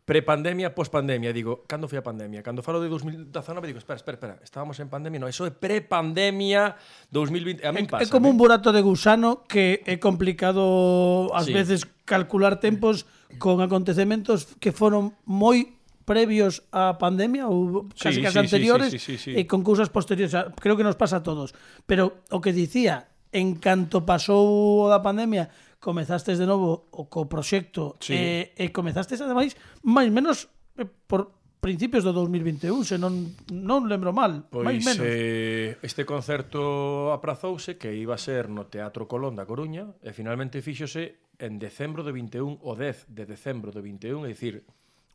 Speaker 6: prepandemia, pospandemia. Digo, cando foi a pandemia? Cando falo de dos mil dezanove digo, espera, espera, espera, estábamos en pandemia, non, eso é prepandemia dos mil vinte. A min pasa.
Speaker 2: É como un
Speaker 6: ¿eh?
Speaker 2: burato de gusano que é complicado ás
Speaker 6: Sí.
Speaker 2: veces calcular tempos con acontecementos que foron moi previos á pandemia ou casi
Speaker 6: Sí,
Speaker 2: que as
Speaker 6: sí, sí,
Speaker 2: anteriores
Speaker 6: sí, sí, sí, sí.
Speaker 2: e con cousas posteriores. O sea, creo que nos pasa a todos. Pero o que dicía, en canto pasou o da pandemia, comezastes de novo o co proxecto
Speaker 6: Sí.
Speaker 2: e, e comezastes ademais máis menos eh, por principios do dous mil vinte e un, se non, non lembro mal,
Speaker 6: Pois
Speaker 2: máis menos.
Speaker 6: eh, este concerto aprazouse que iba a ser no Teatro Colón da Coruña e finalmente fíxose en decembro do vinte e un, o dez de decembro do vinte e un, é dicir,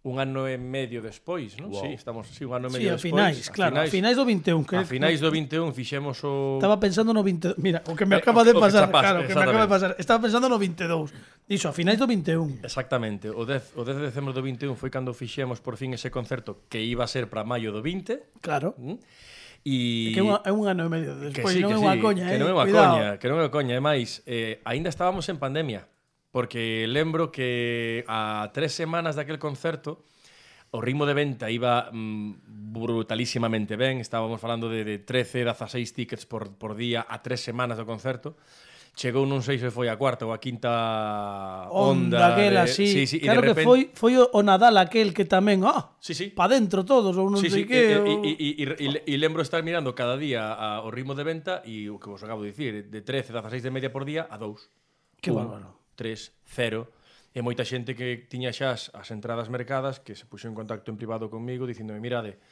Speaker 6: un ano e medio despois, non? Wow. Sí, estamos, sí, un ano e
Speaker 2: Sí,
Speaker 6: medio
Speaker 2: a
Speaker 6: despois.
Speaker 2: finais, claro, a finais do vinte e un. Que
Speaker 6: A finais do vinte e un fixemos o...
Speaker 2: Estaba pensando no vinte e dos. Mira, o que me
Speaker 6: Eh,
Speaker 2: acaba
Speaker 6: o
Speaker 2: de
Speaker 6: que
Speaker 2: pasar,
Speaker 6: chapas,
Speaker 2: claro, o que me acaba de
Speaker 6: exactamente.
Speaker 2: pasar. Estaba pensando no vinte e dous. Dixo, a finais do vinte e un.
Speaker 6: Exactamente, o dez, o dez de decembro do vinte e un foi cando fixemos por fin ese concerto que iba a ser para maio do vinte.
Speaker 2: Claro.
Speaker 6: ¿Mm? E
Speaker 2: Que é un, é un ano e medio
Speaker 6: que
Speaker 2: despois,
Speaker 6: sí,
Speaker 2: non
Speaker 6: que
Speaker 2: é unha
Speaker 6: sí,
Speaker 2: coña,
Speaker 6: que
Speaker 2: eh.
Speaker 6: non é unha
Speaker 2: Cuidado.
Speaker 6: coña, que non é unha coña, e máis, eh, aínda estábamos en pandemia, porque lembro que a tres semanas daquel concerto o ritmo de venta iba mm, brutalísimamente ben, estábamos falando de, de trece, dezaseis tickets por, por día a tres semanas do concerto. Chegou non sei se foi a cuarta ou a quinta onda.
Speaker 2: Onda, aquela,
Speaker 6: de,
Speaker 2: sí.
Speaker 6: sí, sí,
Speaker 2: Claro
Speaker 6: e de
Speaker 2: que
Speaker 6: repente,
Speaker 2: foi foi o o Nadal aquel que tamén, ah,
Speaker 6: Sí, sí.
Speaker 2: pa dentro todos ou non
Speaker 6: Sí,
Speaker 2: sei
Speaker 6: sí,
Speaker 2: que.
Speaker 6: e,
Speaker 2: ou-
Speaker 6: e, e, e, e lembro estar mirando cada día a, o ritmo de venta e o que vos acabo de dicir, de trece, dezaseis de media por día a dous.
Speaker 2: Que
Speaker 6: Un,
Speaker 2: bárbaro.
Speaker 6: tres, cero. E moita xente que tiña xa as, as entradas mercadas que se puxo en contacto en privado conmigo dicíndome, mirade,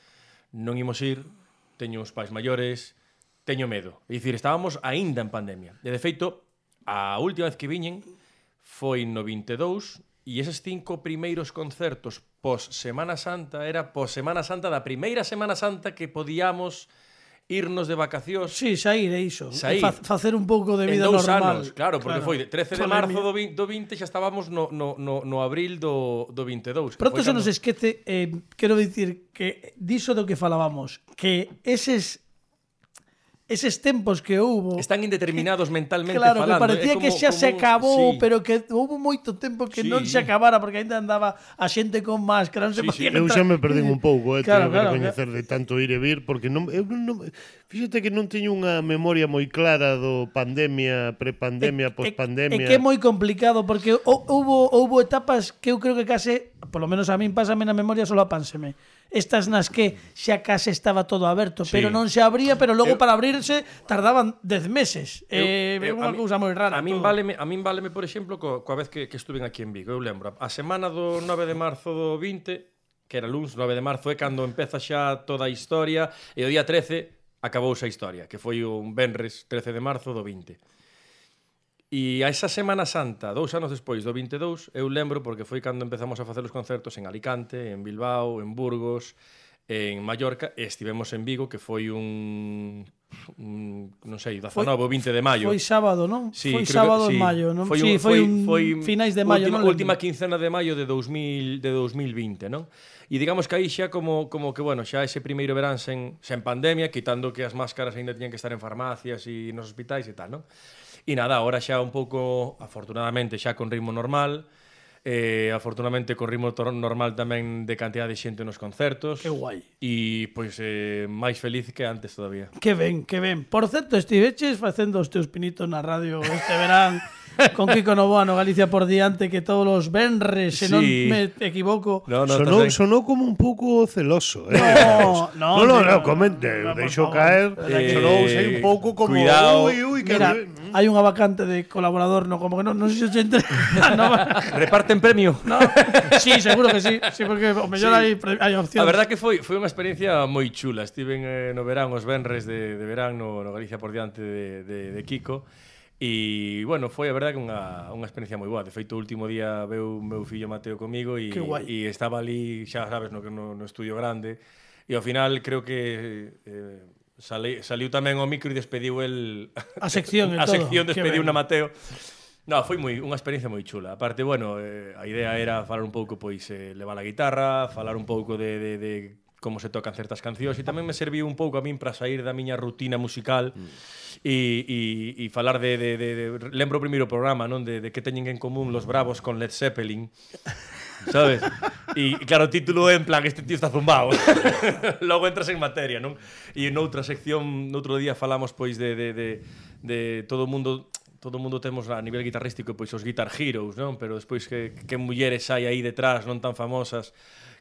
Speaker 6: non imos ir, teño uns pais maiores, teño medo. É dicir, estábamos aínda en pandemia. E de feito, a última vez que viñen foi no vinte e dous e eses cinco primeiros concertos pos Semana Santa era pos Semana Santa da primeira Semana Santa que podíamos irnos de vacacións.
Speaker 2: Sí, sair, é iso.
Speaker 6: Sair.
Speaker 2: Fa, facer un pouco de
Speaker 6: En
Speaker 2: vida
Speaker 6: dous
Speaker 2: normal.
Speaker 6: anos, claro, porque foi de trece de
Speaker 2: Pandemia.
Speaker 6: marzo do vinte, do vinte xa estábamos no, no, no, no abril do, do vinte e dous. que
Speaker 2: Pronto
Speaker 6: foi
Speaker 2: se
Speaker 6: cando-
Speaker 2: nos esquece, eh, quero dicir que diso do que falábamos, que eses eses tempos que houbo
Speaker 6: Están indeterminados mentalmente
Speaker 2: claro,
Speaker 6: falando.
Speaker 2: que parecía
Speaker 6: é como,
Speaker 2: que xa
Speaker 6: como
Speaker 2: se
Speaker 6: un-
Speaker 2: acabou,
Speaker 6: sí.
Speaker 2: pero que houbo moito tempo que
Speaker 6: Sí.
Speaker 2: non se acabara porque ainda andaba a xente con máscara, non se
Speaker 6: Sí,
Speaker 2: podía
Speaker 6: sí.
Speaker 4: Eu xa me perdín un pouco, eh,
Speaker 2: Claro,
Speaker 4: teño que
Speaker 2: claro,
Speaker 4: recoñecer de tanto ir e vir, porque non, eu non, non, fíxate que non teño unha memoria moi clara do pandemia, prepandemia, pospandemia.
Speaker 2: É que é moi complicado porque hou- houbo houbo etapas que eu creo que case, polo menos a min pásame na memoria solo apánseme. Estas nas que xa case estaba todo aberto,
Speaker 6: Sí.
Speaker 2: pero non se abría, pero logo
Speaker 6: Eu-
Speaker 2: para abrirse tardaban dez meses. Eh, é
Speaker 6: Eu- eu-
Speaker 2: unha
Speaker 6: a mi-
Speaker 2: cousa moi rara.
Speaker 6: A min
Speaker 2: todo.
Speaker 6: váleme, a min váleme, por exemplo, co, coa vez que, que estuven aquí en Vigo. Eu lembro, a semana do nove de marzo do vinte, que era luns, nove de marzo, é cando empeza xa toda a historia, e o día trece acabouse a historia, que foi un venres trece de marzo do vinte. E a esa Semana Santa, dous anos despois do vinte e dous, eu lembro porque foi cando empezamos a facer os concertos en Alicante, en Bilbao, en Burgos, en Mallorca, e estivemos en Vigo, que foi un, un non sei, dezanove ou vinte de maio.
Speaker 2: Foi sábado, non?
Speaker 6: Sí,
Speaker 2: foi
Speaker 6: creo que-
Speaker 2: sábado
Speaker 6: sí.
Speaker 2: en maio, non?
Speaker 6: Foi
Speaker 2: sí,
Speaker 6: un-
Speaker 2: foi,
Speaker 6: foi-
Speaker 2: un
Speaker 6: foi
Speaker 2: finais de maio,
Speaker 6: última,
Speaker 2: non?
Speaker 6: última quincena de maio de dos mil de dos mil vinte, non? E digamos que aí xa como como que bueno, xa ese primeiro verán sen sen pandemia, quitando que as máscaras aínda tiñan que estar en farmacias e nos hospitais e tal, non? E nada, agora xa un pouco, afortunadamente, xa con ritmo normal, eh, afortunadamente con ritmo tor- normal tamén de cantidad de xente nos concertos.
Speaker 2: Que guai.
Speaker 6: E, pois, eh, máis feliz que antes todavía.
Speaker 2: Que ben, que ben. Por certo, estiveches facendo os teus pinitos na radio este verán con Kiko Novoa no Galicia por diante, que todos os venres, se non
Speaker 6: Sí.
Speaker 2: me equivoco.
Speaker 6: No, no,
Speaker 4: Sonou,
Speaker 6: estás ben.
Speaker 4: sonou como un pouco celoso, eh?
Speaker 2: No, no,
Speaker 4: no, no,
Speaker 2: tío,
Speaker 4: no, comente,
Speaker 2: no, por
Speaker 4: deixo
Speaker 2: favor.
Speaker 4: caer,
Speaker 6: Eh,
Speaker 4: sonou sei un pouco como
Speaker 6: cuidado.
Speaker 4: ui, ui, que
Speaker 2: Mira, hai unha vacante de colaborador, no, como que non, non sei se se entre. no,
Speaker 6: Reparten premio.
Speaker 2: no, sí, seguro que sí, sí, porque o mellor
Speaker 6: Sí.
Speaker 2: hai, pre- hai opcións.
Speaker 6: A verdad que foi foi unha experiencia moi chula. Estiven eh, no verán, os venres de, de verán no, no Galicia por diante de, de, de Kiko. E, bueno, foi a verdad que unha, unha experiencia moi boa. De feito, o último día veu meu fillo Mateo comigo e,
Speaker 2: Que guai.
Speaker 6: e estaba ali, xa sabes, no, no, no estudio grande. E ao final creo que eh, sali, saliu tamén o micro e despediu el
Speaker 2: A sección e
Speaker 6: a
Speaker 2: todo.
Speaker 6: sección
Speaker 2: Que
Speaker 6: despediu
Speaker 2: ben.
Speaker 6: na Mateo. No, foi moi unha experiencia moi chula. Aparte, bueno, eh, a idea era falar un pouco, pois, eh, levar a guitarra, falar un pouco de, de, de como se tocan certas cancións, e tamén me serviu un pouco a min para sair da miña rutina musical e, e, e falar de, de, de, de... Lembro o primeiro programa, non? De, de que teñen en común los Bravos con Led Zeppelin. Sabes? E claro, o título é en plan, este tío está zumbao. Logo entras en materia, non? E noutra sección, noutro día falamos pois de, de, de, de todo o mundo todo o mundo temos a nivel guitarrístico pois os Guitar Heroes, non? Pero despois que, que mulleres hai aí detrás non tan famosas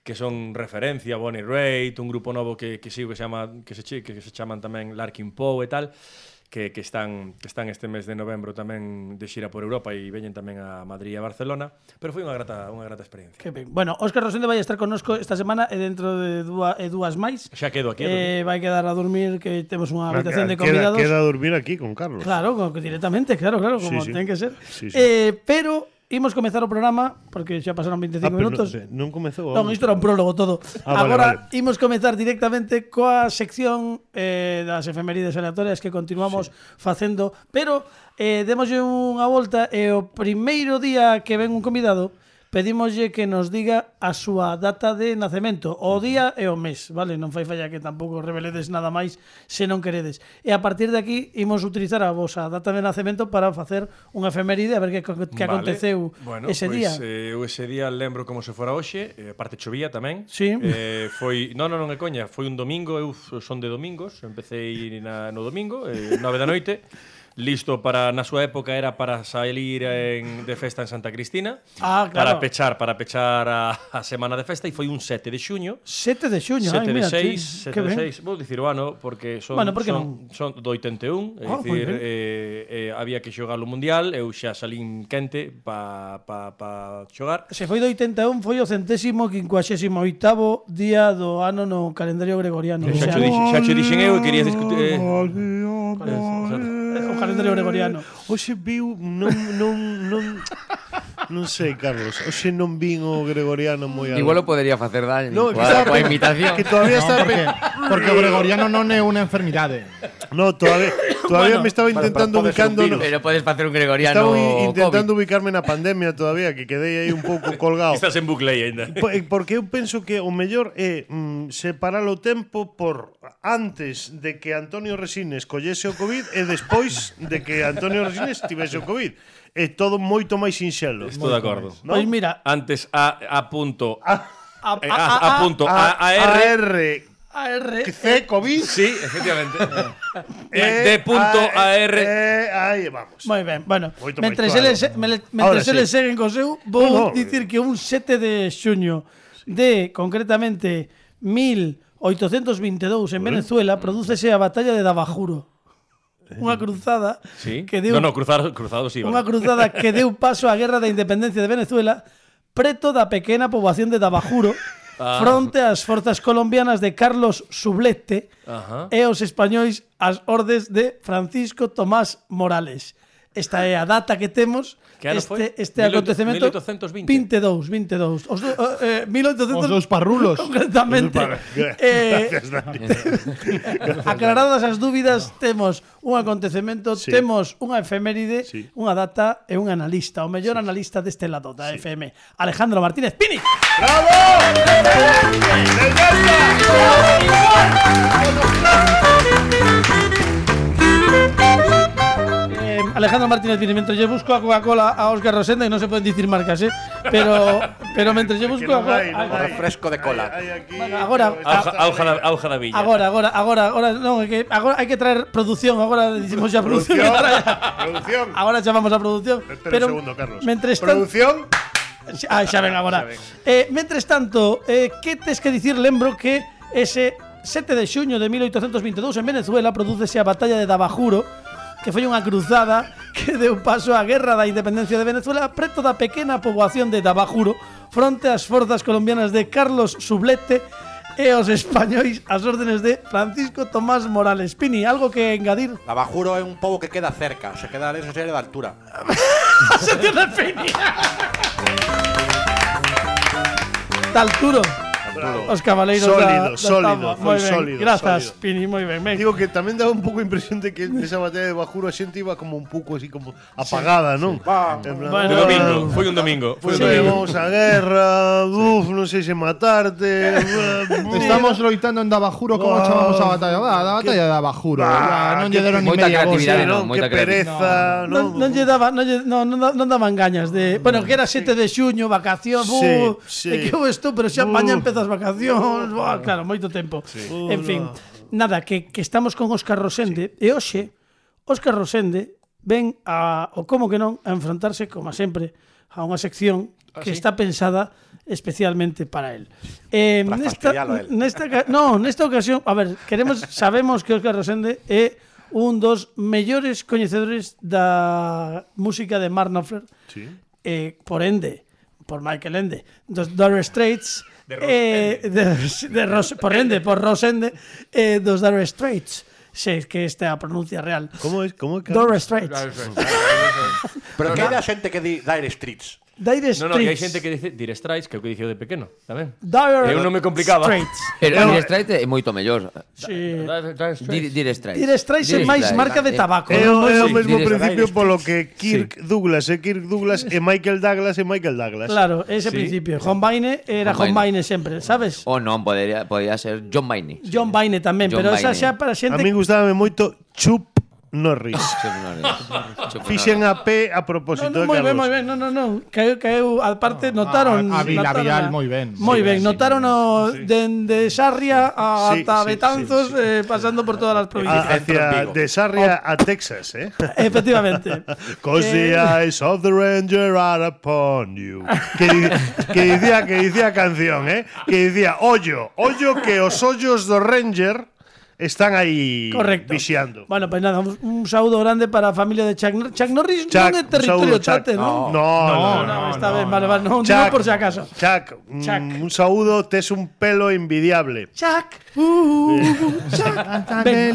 Speaker 6: que son referencia, Bonnie Raitt, un grupo novo que, que sigo que se chama que se, che- que se chaman tamén Larkin Poe e tal. que, que, están, que están este mes de novembro tamén de xira por Europa e veñen tamén a Madrid e a Barcelona, pero foi unha grata, unha grata experiencia.
Speaker 2: Que ben. Bueno, Óscar Rosende vai estar connosco esta semana e dentro de dúas, e dúas máis.
Speaker 6: Xa quedo aquí.
Speaker 2: Eh, vai quedar a dormir, que temos unha habitación de
Speaker 4: Queda,
Speaker 2: convidados.
Speaker 4: queda a dormir aquí con Carlos.
Speaker 2: Claro, co- directamente, claro, claro, como
Speaker 4: Sí, sí.
Speaker 2: ten que ser.
Speaker 4: Sí, sí.
Speaker 2: Eh, pero imos comezar o programa, porque xa pasaron veinticinco
Speaker 4: Ah, pero
Speaker 2: minutos.
Speaker 4: non, non comezou.
Speaker 2: Non, isto era un prólogo todo.
Speaker 4: Ah, vale,
Speaker 2: Agora
Speaker 4: vale.
Speaker 2: imos comezar directamente coa sección eh, das efemérides aleatorias que continuamos sí. facendo, pero eh, demoslle unha volta e o primeiro día que ven un convidado pedímoslle que nos diga a súa data de nacemento, o día e o mes, vale? Non fai falla que tampouco reveledes nada máis se non queredes. E a partir de aquí imos utilizar a vosa data de nacemento para facer unha efeméride a ver que, que
Speaker 6: Vale.
Speaker 2: aconteceu
Speaker 6: bueno,
Speaker 2: ese
Speaker 6: pois,
Speaker 2: día.
Speaker 6: Eh, eu ese día lembro como se fora hoxe, eh, aparte chovía tamén.
Speaker 2: Sí.
Speaker 6: Eh, foi, non, non, non é coña, foi un domingo, eu son de domingos, empecé na, no domingo, eh, nove da noite. Listo para, na súa época era para salir en, de festa en Santa Cristina.
Speaker 2: Ah, claro.
Speaker 6: Para pechar, para pechar a, a semana de festa e foi un sete de xuño.
Speaker 2: sete de xuño,
Speaker 6: sete
Speaker 2: ai,
Speaker 6: de
Speaker 2: mira,
Speaker 6: seis,
Speaker 2: tí,
Speaker 6: sete
Speaker 2: que
Speaker 6: de
Speaker 2: ben.
Speaker 6: seis, vou dicir o ano porque son
Speaker 2: Bueno, por que
Speaker 6: son, son do oitenta e un, é
Speaker 2: Ah, moi
Speaker 6: dicir,
Speaker 2: ben.
Speaker 6: eh, eh, había que xogar o mundial, eu xa salín quente pa pa pa xogar.
Speaker 2: Se foi do oitenta e un, foi o centésimo quincuaxésimo oitavo día do ano no calendario gregoriano. O
Speaker 6: Xa
Speaker 2: sea,
Speaker 6: che dixen, xa che dixen eu e querías discutir eh,
Speaker 2: o calendario gregoriano.
Speaker 4: Hoxe viu, non, non, non, non sei, Carlos, hoxe non vin o gregoriano moi alto.
Speaker 3: Igual o podería facer daño
Speaker 4: No,
Speaker 3: coa,
Speaker 4: quizá-
Speaker 3: coa imitación.
Speaker 4: Que todavía
Speaker 5: No,
Speaker 4: está...
Speaker 5: porque, porque o gregoriano non é unha enfermidade.
Speaker 4: No, todavía, todavía
Speaker 2: Bueno,
Speaker 4: me estaba
Speaker 7: pero
Speaker 4: intentando
Speaker 7: pode ser un
Speaker 4: ubicando...
Speaker 7: virus.
Speaker 3: Pero podes facer un gregoriano
Speaker 4: Estaba i- intentando
Speaker 3: COVID.
Speaker 4: ubicarme na pandemia todavía, que quedei aí un pouco colgado.
Speaker 6: estás en bucle aí ainda.
Speaker 4: Po- eh, Porque eu penso que o mellor é mm, separar o tempo por antes de que Antonio Resines collese o COVID e despois de que Antonio Resines tivese o COVID. É todo moito máis sinxelo.
Speaker 6: Estou de acordo.
Speaker 4: ¿no?
Speaker 2: Pois mira,
Speaker 6: Antes a a punto
Speaker 2: a,
Speaker 6: a, a, a punto a, a
Speaker 4: A
Speaker 6: R
Speaker 4: R
Speaker 2: A R
Speaker 4: C COVID
Speaker 6: Sí, efectivamente.
Speaker 4: e
Speaker 6: de punto a R
Speaker 4: e, aí vamos.
Speaker 2: Moi ben, bueno,
Speaker 4: Moito máis
Speaker 2: mentres
Speaker 4: claro.
Speaker 2: eles, me-
Speaker 4: Ahora
Speaker 2: mentres
Speaker 4: sí.
Speaker 2: eles seguen co seu, vou
Speaker 4: No, no.
Speaker 2: dicir que un sete de xuño de, concretamente, mil oitocentos veintidous en Venezuela, prodúcese a batalla de Dabajuro. Unha cruzada
Speaker 6: Sí.
Speaker 2: que deu
Speaker 6: No, no, cruzado, cruzado sí.
Speaker 2: unha
Speaker 6: vale.
Speaker 2: cruzada que deu paso á Guerra da Independencia de Venezuela preto da pequena poboación de Dabajuro
Speaker 6: Ah.
Speaker 2: fronte ás forzas colombianas de Carlos Sublette
Speaker 6: Ajá.
Speaker 2: e os españois ás ordes de Francisco Tomás Morales. Esta é a data que temos.
Speaker 6: Que ano
Speaker 2: este
Speaker 6: foi?
Speaker 2: este
Speaker 6: mil
Speaker 2: acontecemento
Speaker 6: oitocentos vinte.
Speaker 2: vinte e dous, vinte e dous. Os do, eh, mil oitocentos
Speaker 5: Os dous parrulos.
Speaker 2: concretamente. Eh,
Speaker 4: Gracias, Dani.
Speaker 2: aclaradas as dúbidas, temos un acontecemento,
Speaker 4: Sí.
Speaker 2: temos unha efeméride,
Speaker 4: Sí.
Speaker 2: unha data e un analista, o mellor analista deste lado da F M, Alejandro Martínez Pini. Eh, Alejandro Martínez Pini, mentre lle busco a Coca-Cola a Óscar Rosenda, e non se poden dicir marcas, eh? pero pero mentre lle busco
Speaker 4: Que
Speaker 2: a
Speaker 4: non hai, non
Speaker 2: a-
Speaker 4: hai.
Speaker 7: Refresco de cola.
Speaker 4: Hai, hai aquí,
Speaker 2: Bueno, agora-
Speaker 6: Auja, auja, da, auja da villa.
Speaker 2: Agora, agora, agora, agora, non, é que agora hai que traer produción, agora dicimos xa produción.
Speaker 4: Producción,
Speaker 2: que trae.
Speaker 4: producción.
Speaker 2: Agora chamamos a produción.
Speaker 4: Espera
Speaker 2: pero
Speaker 4: un segundo, Carlos.
Speaker 2: Mentres tanto,
Speaker 4: Producción.
Speaker 2: ah, xa ven agora. Eh, mentres tanto, eh, que tes que dicir? Lembro que ese sete de xuño de mil oitocentos veintidous en Venezuela prodúcese a batalla de Dabajuro, que foi unha cruzada que deu paso á Guerra da Independencia de Venezuela preto da pequena poboación de Dabajuro fronte ás forzas colombianas de Carlos Sublette e os españois ás órdenes de Francisco Tomás Morales. Pini, algo que engadir?
Speaker 7: Navajuro é un pobo que queda cerca, se queda en esa serie de altura.
Speaker 2: Se tiene Pini. Talturo. Os cabaleiros
Speaker 4: Sólido,
Speaker 2: da, da
Speaker 4: sólido,
Speaker 2: Tama.
Speaker 4: foi
Speaker 2: Moi ben.
Speaker 4: sólido,
Speaker 2: Grazas,
Speaker 4: sólido.
Speaker 2: Pini, moi ben. ben.
Speaker 4: Digo que tamén daba un pouco a impresión de que nesa batalla de Bajuro a xente iba como un pouco así como apagada, non? En plan,
Speaker 2: Bueno,
Speaker 6: De
Speaker 4: "Ah,
Speaker 6: domingo, foi un domingo. Foi un
Speaker 2: Sí.
Speaker 6: domingo.
Speaker 4: Vamos a guerra, uf, non sei se matarte.
Speaker 5: Estamos loitando en Dabajuro, como
Speaker 4: Ah,
Speaker 5: chamamos a batalla? Va, a batalla de Dabajuro.
Speaker 4: Ah,
Speaker 5: non
Speaker 4: que
Speaker 5: lle deron ni
Speaker 3: moita
Speaker 5: media
Speaker 3: creatividade,
Speaker 5: voz.
Speaker 3: non,
Speaker 4: non,
Speaker 3: moita
Speaker 4: que pereza,
Speaker 2: Non,
Speaker 4: non.
Speaker 2: non lle daba, non, lle, non, non, da- non daban gañas de, bueno, que era sete de xuño, vacacións,
Speaker 4: Sí,
Speaker 2: bu,
Speaker 4: sí.
Speaker 2: de que eu estou, pero xa
Speaker 4: Bu.
Speaker 2: mañá empezas vacacións, buah, claro, moito tempo. En fin, nada, que, que estamos con Óscar Rosende e hoxe Óscar Rosende ven a, o como que non, a enfrontarse, como sempre, a unha sección que está pensada especialmente para él. Eh,
Speaker 7: Para
Speaker 2: nesta,
Speaker 7: fastidialo a él.
Speaker 2: nesta, ca- no, nesta ocasión, a ver, queremos, sabemos que Óscar Rosende é un dos mellores coñecedores da música de Mark Knopfler.
Speaker 4: Sí.
Speaker 2: Eh, por ende, por Michael Ende, dos Dire Straits, de, eh, de, de Ros, por ende, por Rosende, eh, dos Dire Straits. Sí, que esta é a pronuncia real.
Speaker 4: Como é? Como é?
Speaker 2: Dire Straits.
Speaker 7: Pero que hai da xente que di Dire Streets.
Speaker 2: Dire Straits.
Speaker 6: No, no, e hai xente que dice Dire Straits, que é o que dicía de pequeno, tamén.
Speaker 2: Dire
Speaker 6: Eu non me complicaba.
Speaker 2: Straits.
Speaker 3: Pero Dire Straits é moito mellor.
Speaker 2: Sí.
Speaker 3: Dire, dire Straits.
Speaker 2: Dire Straits é
Speaker 3: Dire
Speaker 2: máis
Speaker 3: Straits.
Speaker 2: marca de tabaco.
Speaker 4: É
Speaker 2: non?
Speaker 4: o, é o
Speaker 3: Sí,
Speaker 4: mesmo
Speaker 3: Dire
Speaker 4: principio
Speaker 7: Straits.
Speaker 4: polo que Kirk Douglas é Kirk Douglas e Michael Douglas é Michael Douglas.
Speaker 2: Claro, ese
Speaker 6: Sí.
Speaker 2: principio. John Baine era
Speaker 3: John
Speaker 2: John
Speaker 3: Baine.
Speaker 2: Baine sempre, sabes?
Speaker 3: O non, podería, podría ser John Baine.
Speaker 2: John Baine tamén,
Speaker 3: John
Speaker 2: pero esa
Speaker 3: Baine.
Speaker 2: xa para
Speaker 4: A
Speaker 2: xente.
Speaker 4: mí gustábame moito Chup Norris. Fixen a P a
Speaker 2: No,
Speaker 4: propósito
Speaker 2: no,
Speaker 4: de
Speaker 2: moi ben,
Speaker 4: Carlos.
Speaker 2: moi ben, no, no, no. Que, que eu, aparte, notaron...
Speaker 5: a- a Vila
Speaker 2: notaron
Speaker 5: Vial
Speaker 2: a-
Speaker 5: moi ben.
Speaker 2: Moi
Speaker 5: Sí,
Speaker 2: ben,
Speaker 5: sí,
Speaker 2: notaron o dende Sarria a
Speaker 4: Sí,
Speaker 2: ata
Speaker 4: sí,
Speaker 2: Betanzos,
Speaker 4: sí, sí.
Speaker 2: eh, pasando por todas as
Speaker 4: A,
Speaker 2: provincias.
Speaker 4: hacia de Sarria a Texas, eh?
Speaker 2: Efectivamente.
Speaker 4: Cause the
Speaker 2: Eh,
Speaker 4: eyes of the ranger are upon you. Que, di- que dicía que dicía a canción, eh? Que dicía, ollo, ollo que os ollos do ranger están aí
Speaker 2: Correcto.
Speaker 4: vixiando.
Speaker 2: Bueno, pues nada, un, un saúdo grande para a familia de Chuck Norris. Chuck Norris
Speaker 4: Chuck,
Speaker 2: non é
Speaker 4: un
Speaker 2: territorio
Speaker 4: saúdo, Chuck.
Speaker 2: tate, non?
Speaker 4: No, no,
Speaker 2: No,
Speaker 4: no.
Speaker 2: no, está ben, vale, vale, non digo
Speaker 4: Chuck,
Speaker 2: por si acaso.
Speaker 4: Chuck, mm,
Speaker 2: Chuck.
Speaker 4: un saúdo, tes un pelo envidiable.
Speaker 2: Chuck, uh, Chuck. Ben,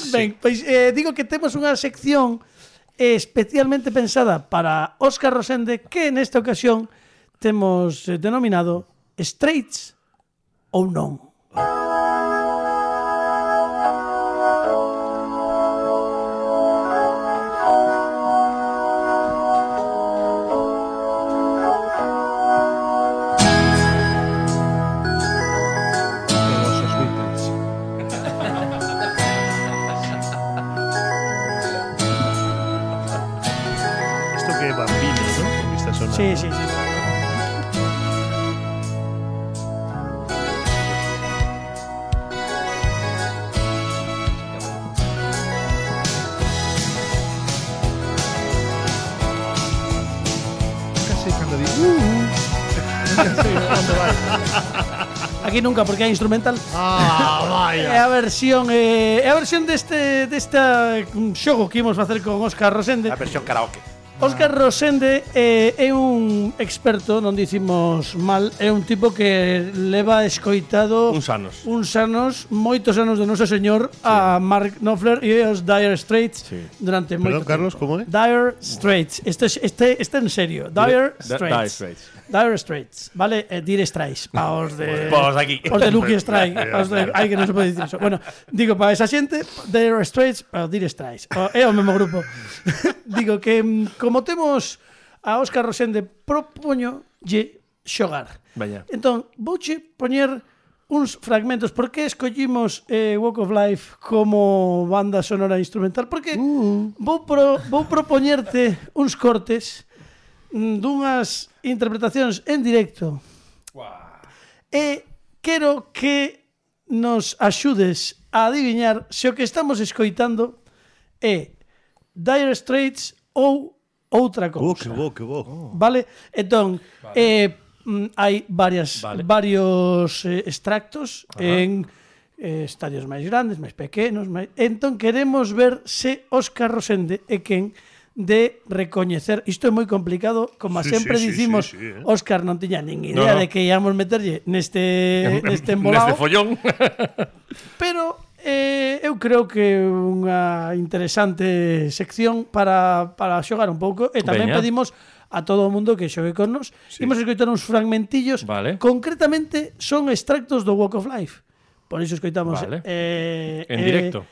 Speaker 2: ben, pois eh, digo que temos unha sección especialmente pensada para Óscar Rosende que nesta ocasión temos eh, denominado Straits ou non.
Speaker 5: Todos os Beatles.
Speaker 4: Esto que é bambino, ¿no? Porque está sonando.
Speaker 2: Sí, sí, sí.
Speaker 5: Casi cando digo, uh, nunca sei onde vai.
Speaker 2: Aquí nunca porque é instrumental.
Speaker 5: Ah,
Speaker 2: É
Speaker 5: vaya.
Speaker 2: a versión eh, é a versión deste desta mm, xogo que imos facer con Óscar Rosende.
Speaker 7: A versión karaoke.
Speaker 2: Óscar Rosende eh, é un experto, non dicimos mal, é un tipo que leva escoitado
Speaker 6: Uns anos.
Speaker 2: uns anos, moitos anos do noso señor a Mark Knopfler e os Dire Straits
Speaker 6: Sí.
Speaker 2: durante moito
Speaker 4: Perdón, Carlos,
Speaker 2: tempo.
Speaker 4: como é?
Speaker 2: Dire Straits. Este este este en serio. Dire
Speaker 6: Dire
Speaker 2: Straits.
Speaker 6: Straits.
Speaker 2: Dire Straits, vale? Eh, Dire Straits, pa os de
Speaker 6: Pa os de aquí.
Speaker 2: Os de Lucky Strike, os de, ai que non se pode dicir eso. Bueno, digo para esa xente, Dire Straits, para Dire Straits. O, é o mesmo grupo. Digo que mm, como temos a Óscar Rosende, propoño lle xogar.
Speaker 6: Veña.
Speaker 2: Entón, vouche poñer uns fragmentos. Por que escollimos eh, Walk of Life como banda sonora instrumental? Porque uh. vou, pro, vou propoñerte uns cortes mm, dunhas interpretacións en directo. E quero que nos axudes a adiviñar se o que estamos escoitando é Dire Straits ou outra
Speaker 4: Oh,
Speaker 2: cousa.
Speaker 4: que bo, que bo.
Speaker 2: Vale? Entón, vale. Eh, mm, hai varias,
Speaker 6: Vale.
Speaker 2: varios eh, extractos en eh, estadios máis grandes, máis pequenos, máis... Entón queremos ver se Óscar Rosende é quen de recoñecer. Isto é moi complicado, como
Speaker 4: Sí,
Speaker 2: sempre
Speaker 4: sí, sí,
Speaker 2: dicimos,
Speaker 4: sí, sí, eh.
Speaker 2: Óscar non tiña nin idea
Speaker 6: No, no.
Speaker 2: de que íamos meterlle neste neste embolado.
Speaker 6: Neste follón.
Speaker 2: Pero eh, eu creo que é unha interesante sección para, para xogar un pouco e tamén
Speaker 6: Veña.
Speaker 2: pedimos a todo o mundo que xogue con nos. Sí. Imos escoitar uns fragmentillos.
Speaker 6: Vale.
Speaker 2: Concretamente son extractos do Walk of Life. Por iso escoitamos
Speaker 6: Vale.
Speaker 2: eh,
Speaker 6: En
Speaker 2: eh,
Speaker 6: directo.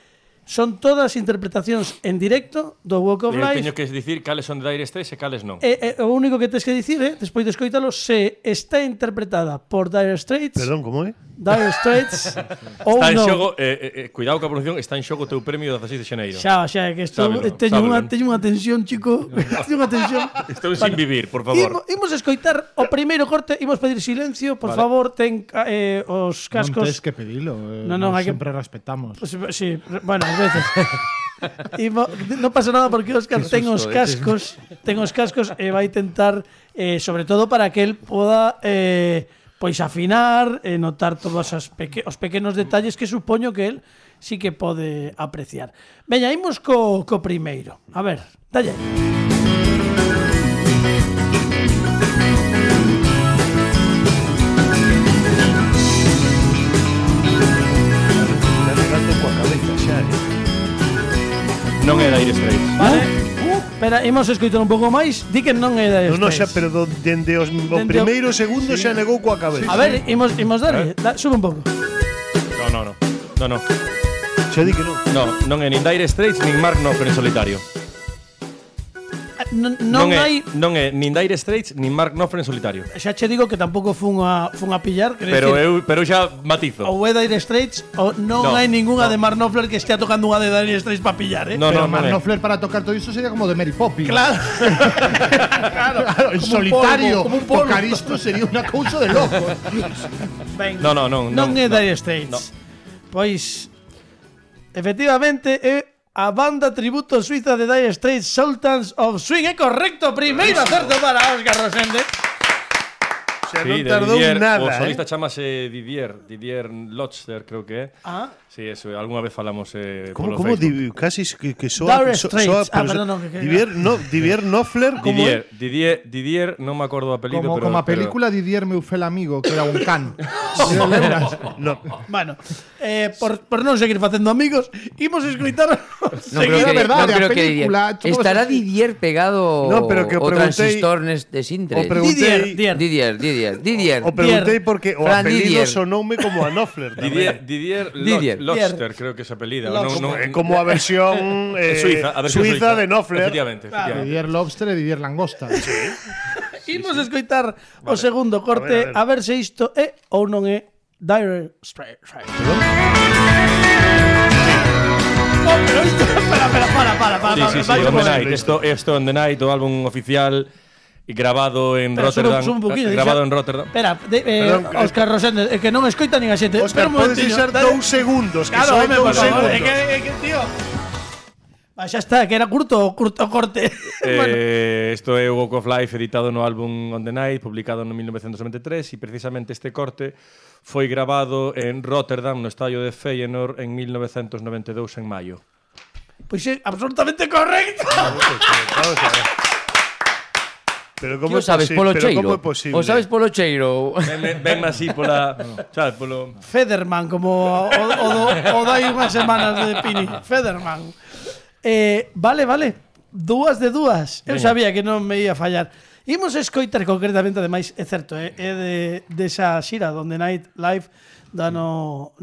Speaker 2: Son todas interpretacións en directo do Walk of
Speaker 6: Eu
Speaker 2: Life.
Speaker 6: teño que dicir cales son de Dire Straits e cales non.
Speaker 2: E, e, o único que tens que dicir é, despois de escoitalo, se está interpretada por Dire Straits,
Speaker 4: Perdón, como é?
Speaker 2: Dire Straits ou
Speaker 6: Está en
Speaker 2: non.
Speaker 6: xogo, eh, eh, cuidado coa pronunciación, está en xogo o teu premio do dezaseis de xaneiro.
Speaker 2: Xa, xa, que estou,
Speaker 6: Sábelo,
Speaker 2: teño, unha,
Speaker 6: sábelo.
Speaker 2: teño unha tensión, chico. teño unha tensión.
Speaker 6: Estou sin vivir, por favor.
Speaker 2: Imo, imos escoitar o primeiro corte, imos pedir silencio, por
Speaker 6: Vale.
Speaker 2: favor, ten eh, os
Speaker 5: Non
Speaker 2: cascos.
Speaker 5: tens que pedilo. Eh,
Speaker 2: No, non,
Speaker 5: nos
Speaker 2: hai que-
Speaker 5: sempre respetamos.
Speaker 2: Pues, sí, bueno, ás veces. Imo, non pasa nada porque Óscar ten os
Speaker 3: susto, eh.
Speaker 2: cascos, ten os cascos e vai tentar eh, sobre todo para que el poda eh, pois afinar e notar todos as peque, os pequenos detalles que supoño que el sí que pode apreciar. Veña, imos co, co primeiro. A ver, dalle.
Speaker 6: Non é Dire Straits.
Speaker 2: Vale. Espera, imos escoitar un pouco máis. Di que non é Dire
Speaker 4: Non, non, xa,
Speaker 2: Straits.
Speaker 4: pero do, dende os, o
Speaker 2: Dende o-
Speaker 4: primeiro segundo xa negou coa cabeza.
Speaker 2: A ver, imos, imos darlle. Da, sube un pouco.
Speaker 6: No, no, no. No, no.
Speaker 4: Xa di que non.
Speaker 6: No, non é nin Dire Straits nin Mark Knopfler en solitario.
Speaker 2: Non, non,
Speaker 6: é,
Speaker 2: hai...
Speaker 6: non é nin Dire Straits nin Mark Knopfler en solitario.
Speaker 2: Xa che digo que tampouco fun a, fun a pillar.
Speaker 6: Pero eu, pero eu xa matizo.
Speaker 2: Ou é Dire Straits ou non
Speaker 6: No,
Speaker 2: hai ninguna
Speaker 6: no.
Speaker 2: de Mark Knopfler que estea tocando unha de Dire Straits para pillar, eh?
Speaker 6: No,
Speaker 5: Pero
Speaker 6: no, non
Speaker 5: Mark
Speaker 6: é.
Speaker 5: Knopfler para tocar todo iso sería como de Mary Poppins.
Speaker 2: Claro. claro.
Speaker 5: Claro, en
Speaker 2: Como un
Speaker 5: solitario,
Speaker 2: polvo, como un polvo.
Speaker 5: tocar isto sería unha cousa de loco.
Speaker 2: Ben,
Speaker 6: No, no, non,
Speaker 2: non
Speaker 6: non,
Speaker 2: é
Speaker 6: no.
Speaker 2: Dire Straits.
Speaker 6: No.
Speaker 2: Pois efectivamente é a banda tributo suiza de Dire Straits, Sultans of Swing. É correcto, primeiro acerto para Óscar Rosende.
Speaker 4: Xa
Speaker 6: Sí,
Speaker 4: non
Speaker 6: de
Speaker 4: tardou
Speaker 6: Didier,
Speaker 4: nada,
Speaker 6: o solista
Speaker 4: eh.
Speaker 6: chamase Didier, Didier Lotzer, creo que é.
Speaker 2: Ah.
Speaker 6: Sí, eso, algunha vez falamos eh,
Speaker 4: Como,
Speaker 6: polo
Speaker 4: como
Speaker 6: Facebook.
Speaker 4: di, casi que, que soa,
Speaker 2: Dire
Speaker 4: so,
Speaker 2: Straits.
Speaker 4: soa,
Speaker 2: Ah,
Speaker 4: pero
Speaker 2: perdón,
Speaker 4: so-
Speaker 2: no, que- que-
Speaker 4: Didier, no, Didier Knopfler, como
Speaker 6: Didier, Didier, Didier, non me acordo o apelido,
Speaker 5: Como,
Speaker 6: pero
Speaker 5: como a
Speaker 6: pero-
Speaker 5: película Didier meu fel amigo, que era un can.
Speaker 4: no.
Speaker 2: Bueno, eh, por, por non seguir facendo amigos, imos escoitar
Speaker 3: Non
Speaker 2: seguir
Speaker 3: creo que,
Speaker 5: verdade,
Speaker 3: non creo
Speaker 5: a
Speaker 3: que
Speaker 5: película,
Speaker 3: Didier.
Speaker 5: todo
Speaker 3: Estará
Speaker 5: eso-
Speaker 3: Didier pegado
Speaker 4: No, pero que
Speaker 3: o
Speaker 4: preguntei-
Speaker 3: transistor neste Sintre.
Speaker 4: o preguntei-
Speaker 2: Didier, Didier.
Speaker 3: Didier, Didier, Didier.
Speaker 4: O preguntei porque o
Speaker 3: Fran
Speaker 4: apelido
Speaker 3: Didier.
Speaker 4: sonoume como a Knopfler.
Speaker 6: Didier,
Speaker 4: tamén.
Speaker 6: Didier,
Speaker 3: Didier.
Speaker 6: Lot- Lotzer, creo que se apelida.
Speaker 2: Lot-
Speaker 6: Non- non-
Speaker 4: É como a versión eh,
Speaker 6: Suiza, a versión
Speaker 4: suiza de Knopfler.
Speaker 6: Efectivamente, efectivamente.
Speaker 5: Didier Lobster e Didier Langosta.
Speaker 2: Imos escoitar o segundo corte, a ver,
Speaker 4: A ver, a ver.
Speaker 2: se isto é ou non é Dire Straits. Oh, pero isto, espera, espera, para, para, para,
Speaker 6: Sí,
Speaker 2: para,
Speaker 6: sí, sí,
Speaker 2: vai
Speaker 6: On
Speaker 2: como
Speaker 6: the
Speaker 2: é.
Speaker 6: Night. Esto, esto On the Night, o álbum oficial y grabado en
Speaker 2: Espera,
Speaker 6: Rotterdam.
Speaker 2: sube- sube un poquinho,
Speaker 6: eh, grabado
Speaker 2: deixa-
Speaker 6: en Rotterdam.
Speaker 2: Espera, de, eh,
Speaker 4: Perdón, que-
Speaker 2: Óscar Rosende, é que non escoita nin a xente. Espera
Speaker 4: Óscar,
Speaker 2: un
Speaker 4: podes
Speaker 2: momentiño.
Speaker 4: deixar
Speaker 2: dale.
Speaker 4: dous segundos, que
Speaker 2: Claro,
Speaker 4: só hai
Speaker 2: home, por
Speaker 4: dous
Speaker 2: favor,
Speaker 4: segundos.
Speaker 2: é que, é que, tío. Va, xa está, que era curto, curto corte. Bueno,
Speaker 6: Eh, esto é o Walk of Life editado no álbum On the Night, publicado no mil novecientos noventa e tres, e precisamente este corte foi grabado en Rotterdam, no estadio de Feyenoord, en mil novecientos noventa e dous, en maio.
Speaker 2: pois é absolutamente correcto.
Speaker 4: Vamos a ver. Pero
Speaker 3: Que
Speaker 4: como
Speaker 3: o sabes polo
Speaker 4: pero como
Speaker 3: cheiro?
Speaker 4: é posible?
Speaker 3: O sabes polo cheiro?
Speaker 6: Ven, ven así pola, sabes, polo
Speaker 2: Federman, como o, o, do, o dai unhas semanas de Pini. Federman. Eh, vale, vale. Dúas de dúas. Eu
Speaker 6: Veña.
Speaker 2: sabía que non me ia fallar. Imos escoitar concretamente, ademais, é certo, é, é de, desa xira donde Night Live do ano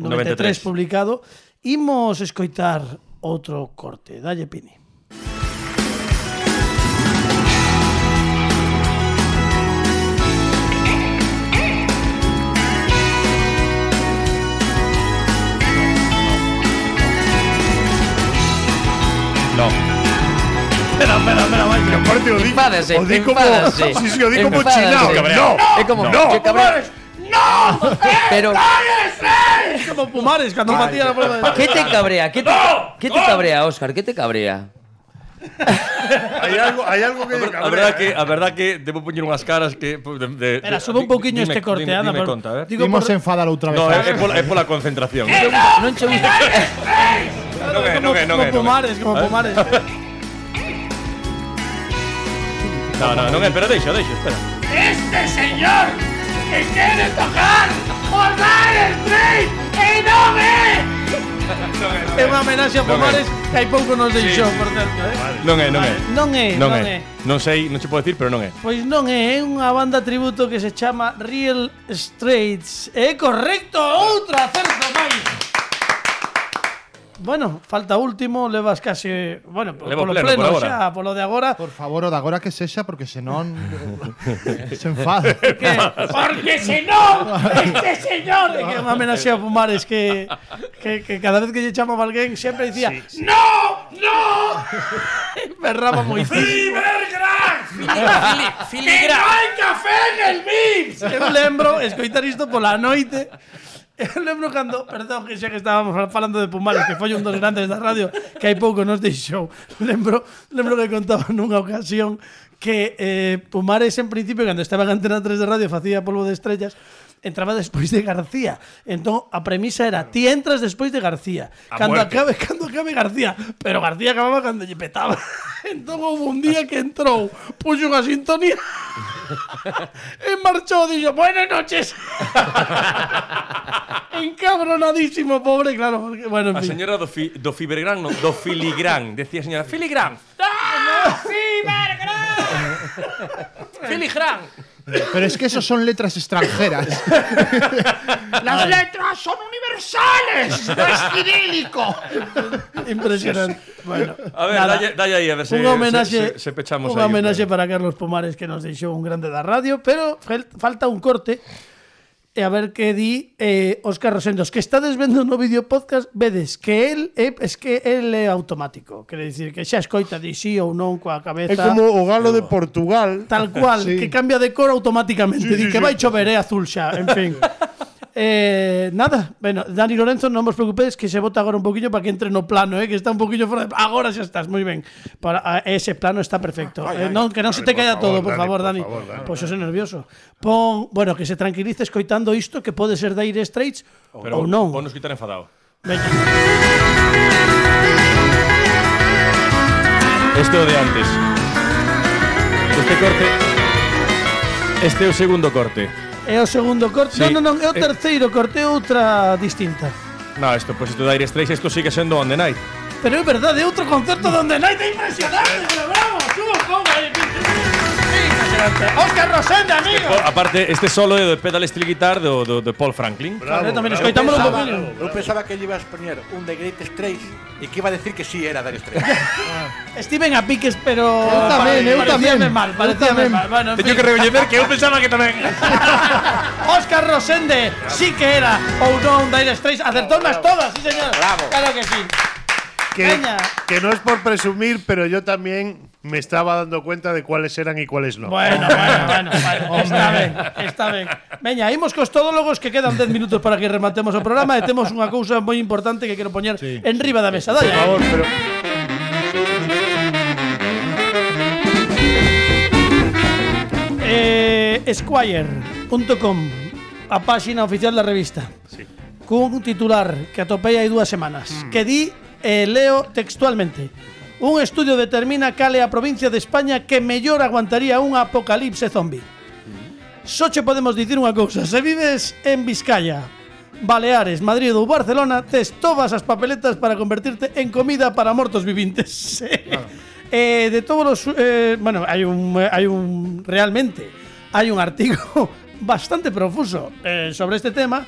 Speaker 2: noventa e tres
Speaker 6: noventa e tres.
Speaker 2: publicado. Imos escoitar outro corte. Dalle, Pini.
Speaker 6: No.
Speaker 2: Espera, espera, espera, vai.
Speaker 4: Que aparte o di,
Speaker 3: Enfádase,
Speaker 4: o di como,
Speaker 3: enfádase.
Speaker 4: sí, sí, o di como
Speaker 3: Enfádase.
Speaker 4: chinao.
Speaker 6: Cabreado.
Speaker 4: No,
Speaker 3: É como
Speaker 4: no,
Speaker 3: que cabrón. Pero
Speaker 2: Es como Pumares cando batía la prueba de...
Speaker 3: ¿qué te cabrea? ¿Qué te, ¿qué te cabrea, Óscar? ¿Qué te cabrea?
Speaker 4: Hai algo, hai algo que
Speaker 6: A verdad que, a verdad que debo poñer unhas caras que pues, de, de,
Speaker 2: Espera,
Speaker 6: de-
Speaker 2: sube un pouquiño
Speaker 6: dime-
Speaker 2: este corte,
Speaker 6: dime,
Speaker 2: anda.
Speaker 6: dime
Speaker 2: por-
Speaker 6: conta, a ver.
Speaker 2: Digo,
Speaker 5: Imos
Speaker 2: por-
Speaker 5: enfadar outra vez.
Speaker 6: No,
Speaker 5: a-
Speaker 6: é, é pola, é pola concentración.
Speaker 3: Non che gusta.
Speaker 6: Non é, non é, non
Speaker 2: como
Speaker 6: é, non é.
Speaker 2: Pumares, como
Speaker 6: A ver.
Speaker 2: Pumares.
Speaker 6: No, no, non é, pero deixa, deixa, espera.
Speaker 8: Este señor que quiere tocar por Dire Straits y no ve.
Speaker 2: É unha homenaxe a Pumares que hai pouco nos deixou, por certo, eh?
Speaker 6: Non é, non é.
Speaker 2: Non é,
Speaker 6: Non
Speaker 2: non
Speaker 6: é.
Speaker 2: é.
Speaker 6: Non sei, non che podo decir, pero non é.
Speaker 2: Pois non é, é unha banda tributo que se chama Real Straits. É correcto, outro acerto máis. Bueno, falta último, levas case, bueno,
Speaker 6: Levo
Speaker 2: polo
Speaker 6: pleno,
Speaker 2: pleno,
Speaker 6: por agora.
Speaker 2: xa, polo de agora.
Speaker 5: Por favor, o de agora que sexa, porque senón se enfada.
Speaker 2: Que
Speaker 8: Porque si no, este señor.
Speaker 2: é que é unha homenaxe a Pumares que, que, que cada vez que lle chamaba alguén sempre dicía
Speaker 8: ¡No! ¡No!
Speaker 2: berraba moi
Speaker 8: ¡Fibergras! ¡Que no hay café en el Vips!
Speaker 2: Eu lembro escoitar isto pola noite. Eu lembro cando, perdón, que xa que estábamos falando de Pumares, que foi un dos grandes da radio, que hai pouco nos deixou. Lembro, lembro que contaba nunha ocasión que eh, Pumares en principio, cando estaba en Antena tres de radio, facía polvo de estrellas, entraba despois de García. Entón, a premisa era, ti entras despois de García.
Speaker 6: A
Speaker 2: Cando
Speaker 6: muerte.
Speaker 2: acabe, cando acabe García. Pero García acababa cando lle petaba. Entón, houve un día que entrou, puxo unha sintonía e marchou, dixo, buenas noches. Encabronadísimo, pobre, claro. Porque, bueno, en
Speaker 6: A
Speaker 2: fin.
Speaker 6: señora do, fi, do Fibergrán, no, do Filigrán. Decía a señora, Filigrán. ¡Ah! ¡Fibergrán! ¡Filigrán!
Speaker 5: Pero es que esos son letras extranjeras.
Speaker 8: Las letras son universales. No es cirílico.
Speaker 2: Impresionante. Bueno,
Speaker 6: A ver,
Speaker 2: nada.
Speaker 6: dalle, dalle aí, a ver se,
Speaker 2: Un homenaxe,
Speaker 6: se, se, se pechamos
Speaker 2: un
Speaker 6: aí.
Speaker 2: homenaxe para Carlos Pomares que nos deixou un grande da radio, pero fel- falta un corte. E a ver que di eh, Óscar Rosendos, que estades vendo no vídeo podcast, vedes que el é, es que el é automático, quere dicir que xa escoita di sí ou non coa cabeza.
Speaker 4: É como o galo de Portugal.
Speaker 2: Tal cual,
Speaker 5: Sí.
Speaker 2: que cambia de cor automáticamente,
Speaker 4: Sí,
Speaker 2: di
Speaker 4: sí,
Speaker 2: que
Speaker 4: sí.
Speaker 2: vai chover, é azul xa, en fin. Eh, nada, bueno, Dani Lorenzo, non vos preocupedes que se bota agora un poquinho para que entre no plano, eh, que está un poquinho fora de... Agora xa estás, moi ben. Para, a, ese plano está perfecto.
Speaker 4: Ay,
Speaker 2: eh,
Speaker 4: ay.
Speaker 2: non, que non se te
Speaker 4: Por
Speaker 2: caiga
Speaker 4: favor,
Speaker 2: todo, por
Speaker 4: Dani,
Speaker 2: favor,
Speaker 4: por
Speaker 2: Dani.
Speaker 4: favor, Dani.
Speaker 2: Pois pues eu sou nervioso. Pon, bueno, que se tranquilice escoitando isto, que pode ser Dire Straits ou
Speaker 6: Pero
Speaker 2: non.
Speaker 6: vou nos quitar enfadado.
Speaker 2: Veña.
Speaker 6: Este é o de antes. Este corte. Este é o segundo corte.
Speaker 2: É o segundo corte.
Speaker 6: Sí.
Speaker 2: Non, non, non, é o
Speaker 6: Eh.
Speaker 2: terceiro corte, é outra distinta.
Speaker 6: No, isto, pues isto de Dire Straits, isto sigue sendo On The Night.
Speaker 2: Pero é verdade, é outro concerto donde Night é impresionante, pero bravo, subo un pouco aí. Impresionante. Óscar Rosende, amigo.
Speaker 6: O, aparte, este solo é do pedal steel guitar do, do, de Paul Franklin.
Speaker 4: Bravo,
Speaker 2: Vale, tamén
Speaker 4: bravo.
Speaker 2: escoitámolo un
Speaker 7: Pensaba-
Speaker 2: poquinho.
Speaker 7: Eu pensaba que lle ibas poñer un de Great Straits e que iba a decir que sí era Dire Straits.
Speaker 2: Steven a piques, pero
Speaker 5: Eu tamén, eu
Speaker 2: parecíame
Speaker 5: tamén.
Speaker 2: mal,
Speaker 5: Eu
Speaker 2: parecíame
Speaker 5: tamén.
Speaker 2: mal. Bueno, en
Speaker 6: Teño
Speaker 2: fin.
Speaker 6: que recoñecer que eu pensaba que tamén.
Speaker 2: Óscar Rosende, sí que era ou non Dire Straits, acertounas todas, sí señor.
Speaker 7: Bravo.
Speaker 2: Claro que sí.
Speaker 4: Que,
Speaker 2: Veña.
Speaker 4: que no es por presumir, pero yo también me estaba dando cuenta de cuáles eran y cuáles no.
Speaker 2: Bueno, bueno, bueno, bueno. Está ben, está ben. Veña, imos cos todólogos que quedan dez minutos para que rematemos o programa e temos unha cousa moi importante que quero poñer en riba da mesa.
Speaker 4: Por
Speaker 2: Dale.
Speaker 4: favor, pero
Speaker 2: Eh, Esquire punto com, a páxina oficial da revista. Sí. Cun titular que atopei hai dúas semanas, mm. que di, eh, leo textualmente: un estudio determina cal é a provincia de España que mellor aguantaría un apocalipse zombie. Mm. Só che podemos dicir unha cousa: se vives en Vizcaya, Baleares, Madrid ou Barcelona, tes todas as papeletas para convertirte en comida para mortos vivintes. Eh, de todos los eh, bueno, hai un hai un realmente hai un artigo bastante profuso eh, sobre este tema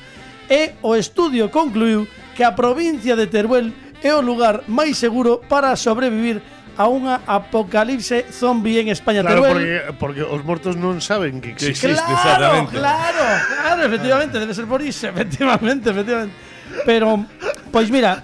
Speaker 2: e o estudio concluiu que a provincia de Teruel é o lugar máis seguro para sobrevivir a unha apocalipse zombie en España.
Speaker 4: claro,
Speaker 2: Teruel,
Speaker 4: porque, porque os mortos non saben que
Speaker 6: Que
Speaker 4: existe.
Speaker 6: existe,
Speaker 2: claro,
Speaker 6: exactamente.
Speaker 2: claro, claro, efectivamente, debe ser por iso, efectivamente, efectivamente. Pero, pois mira,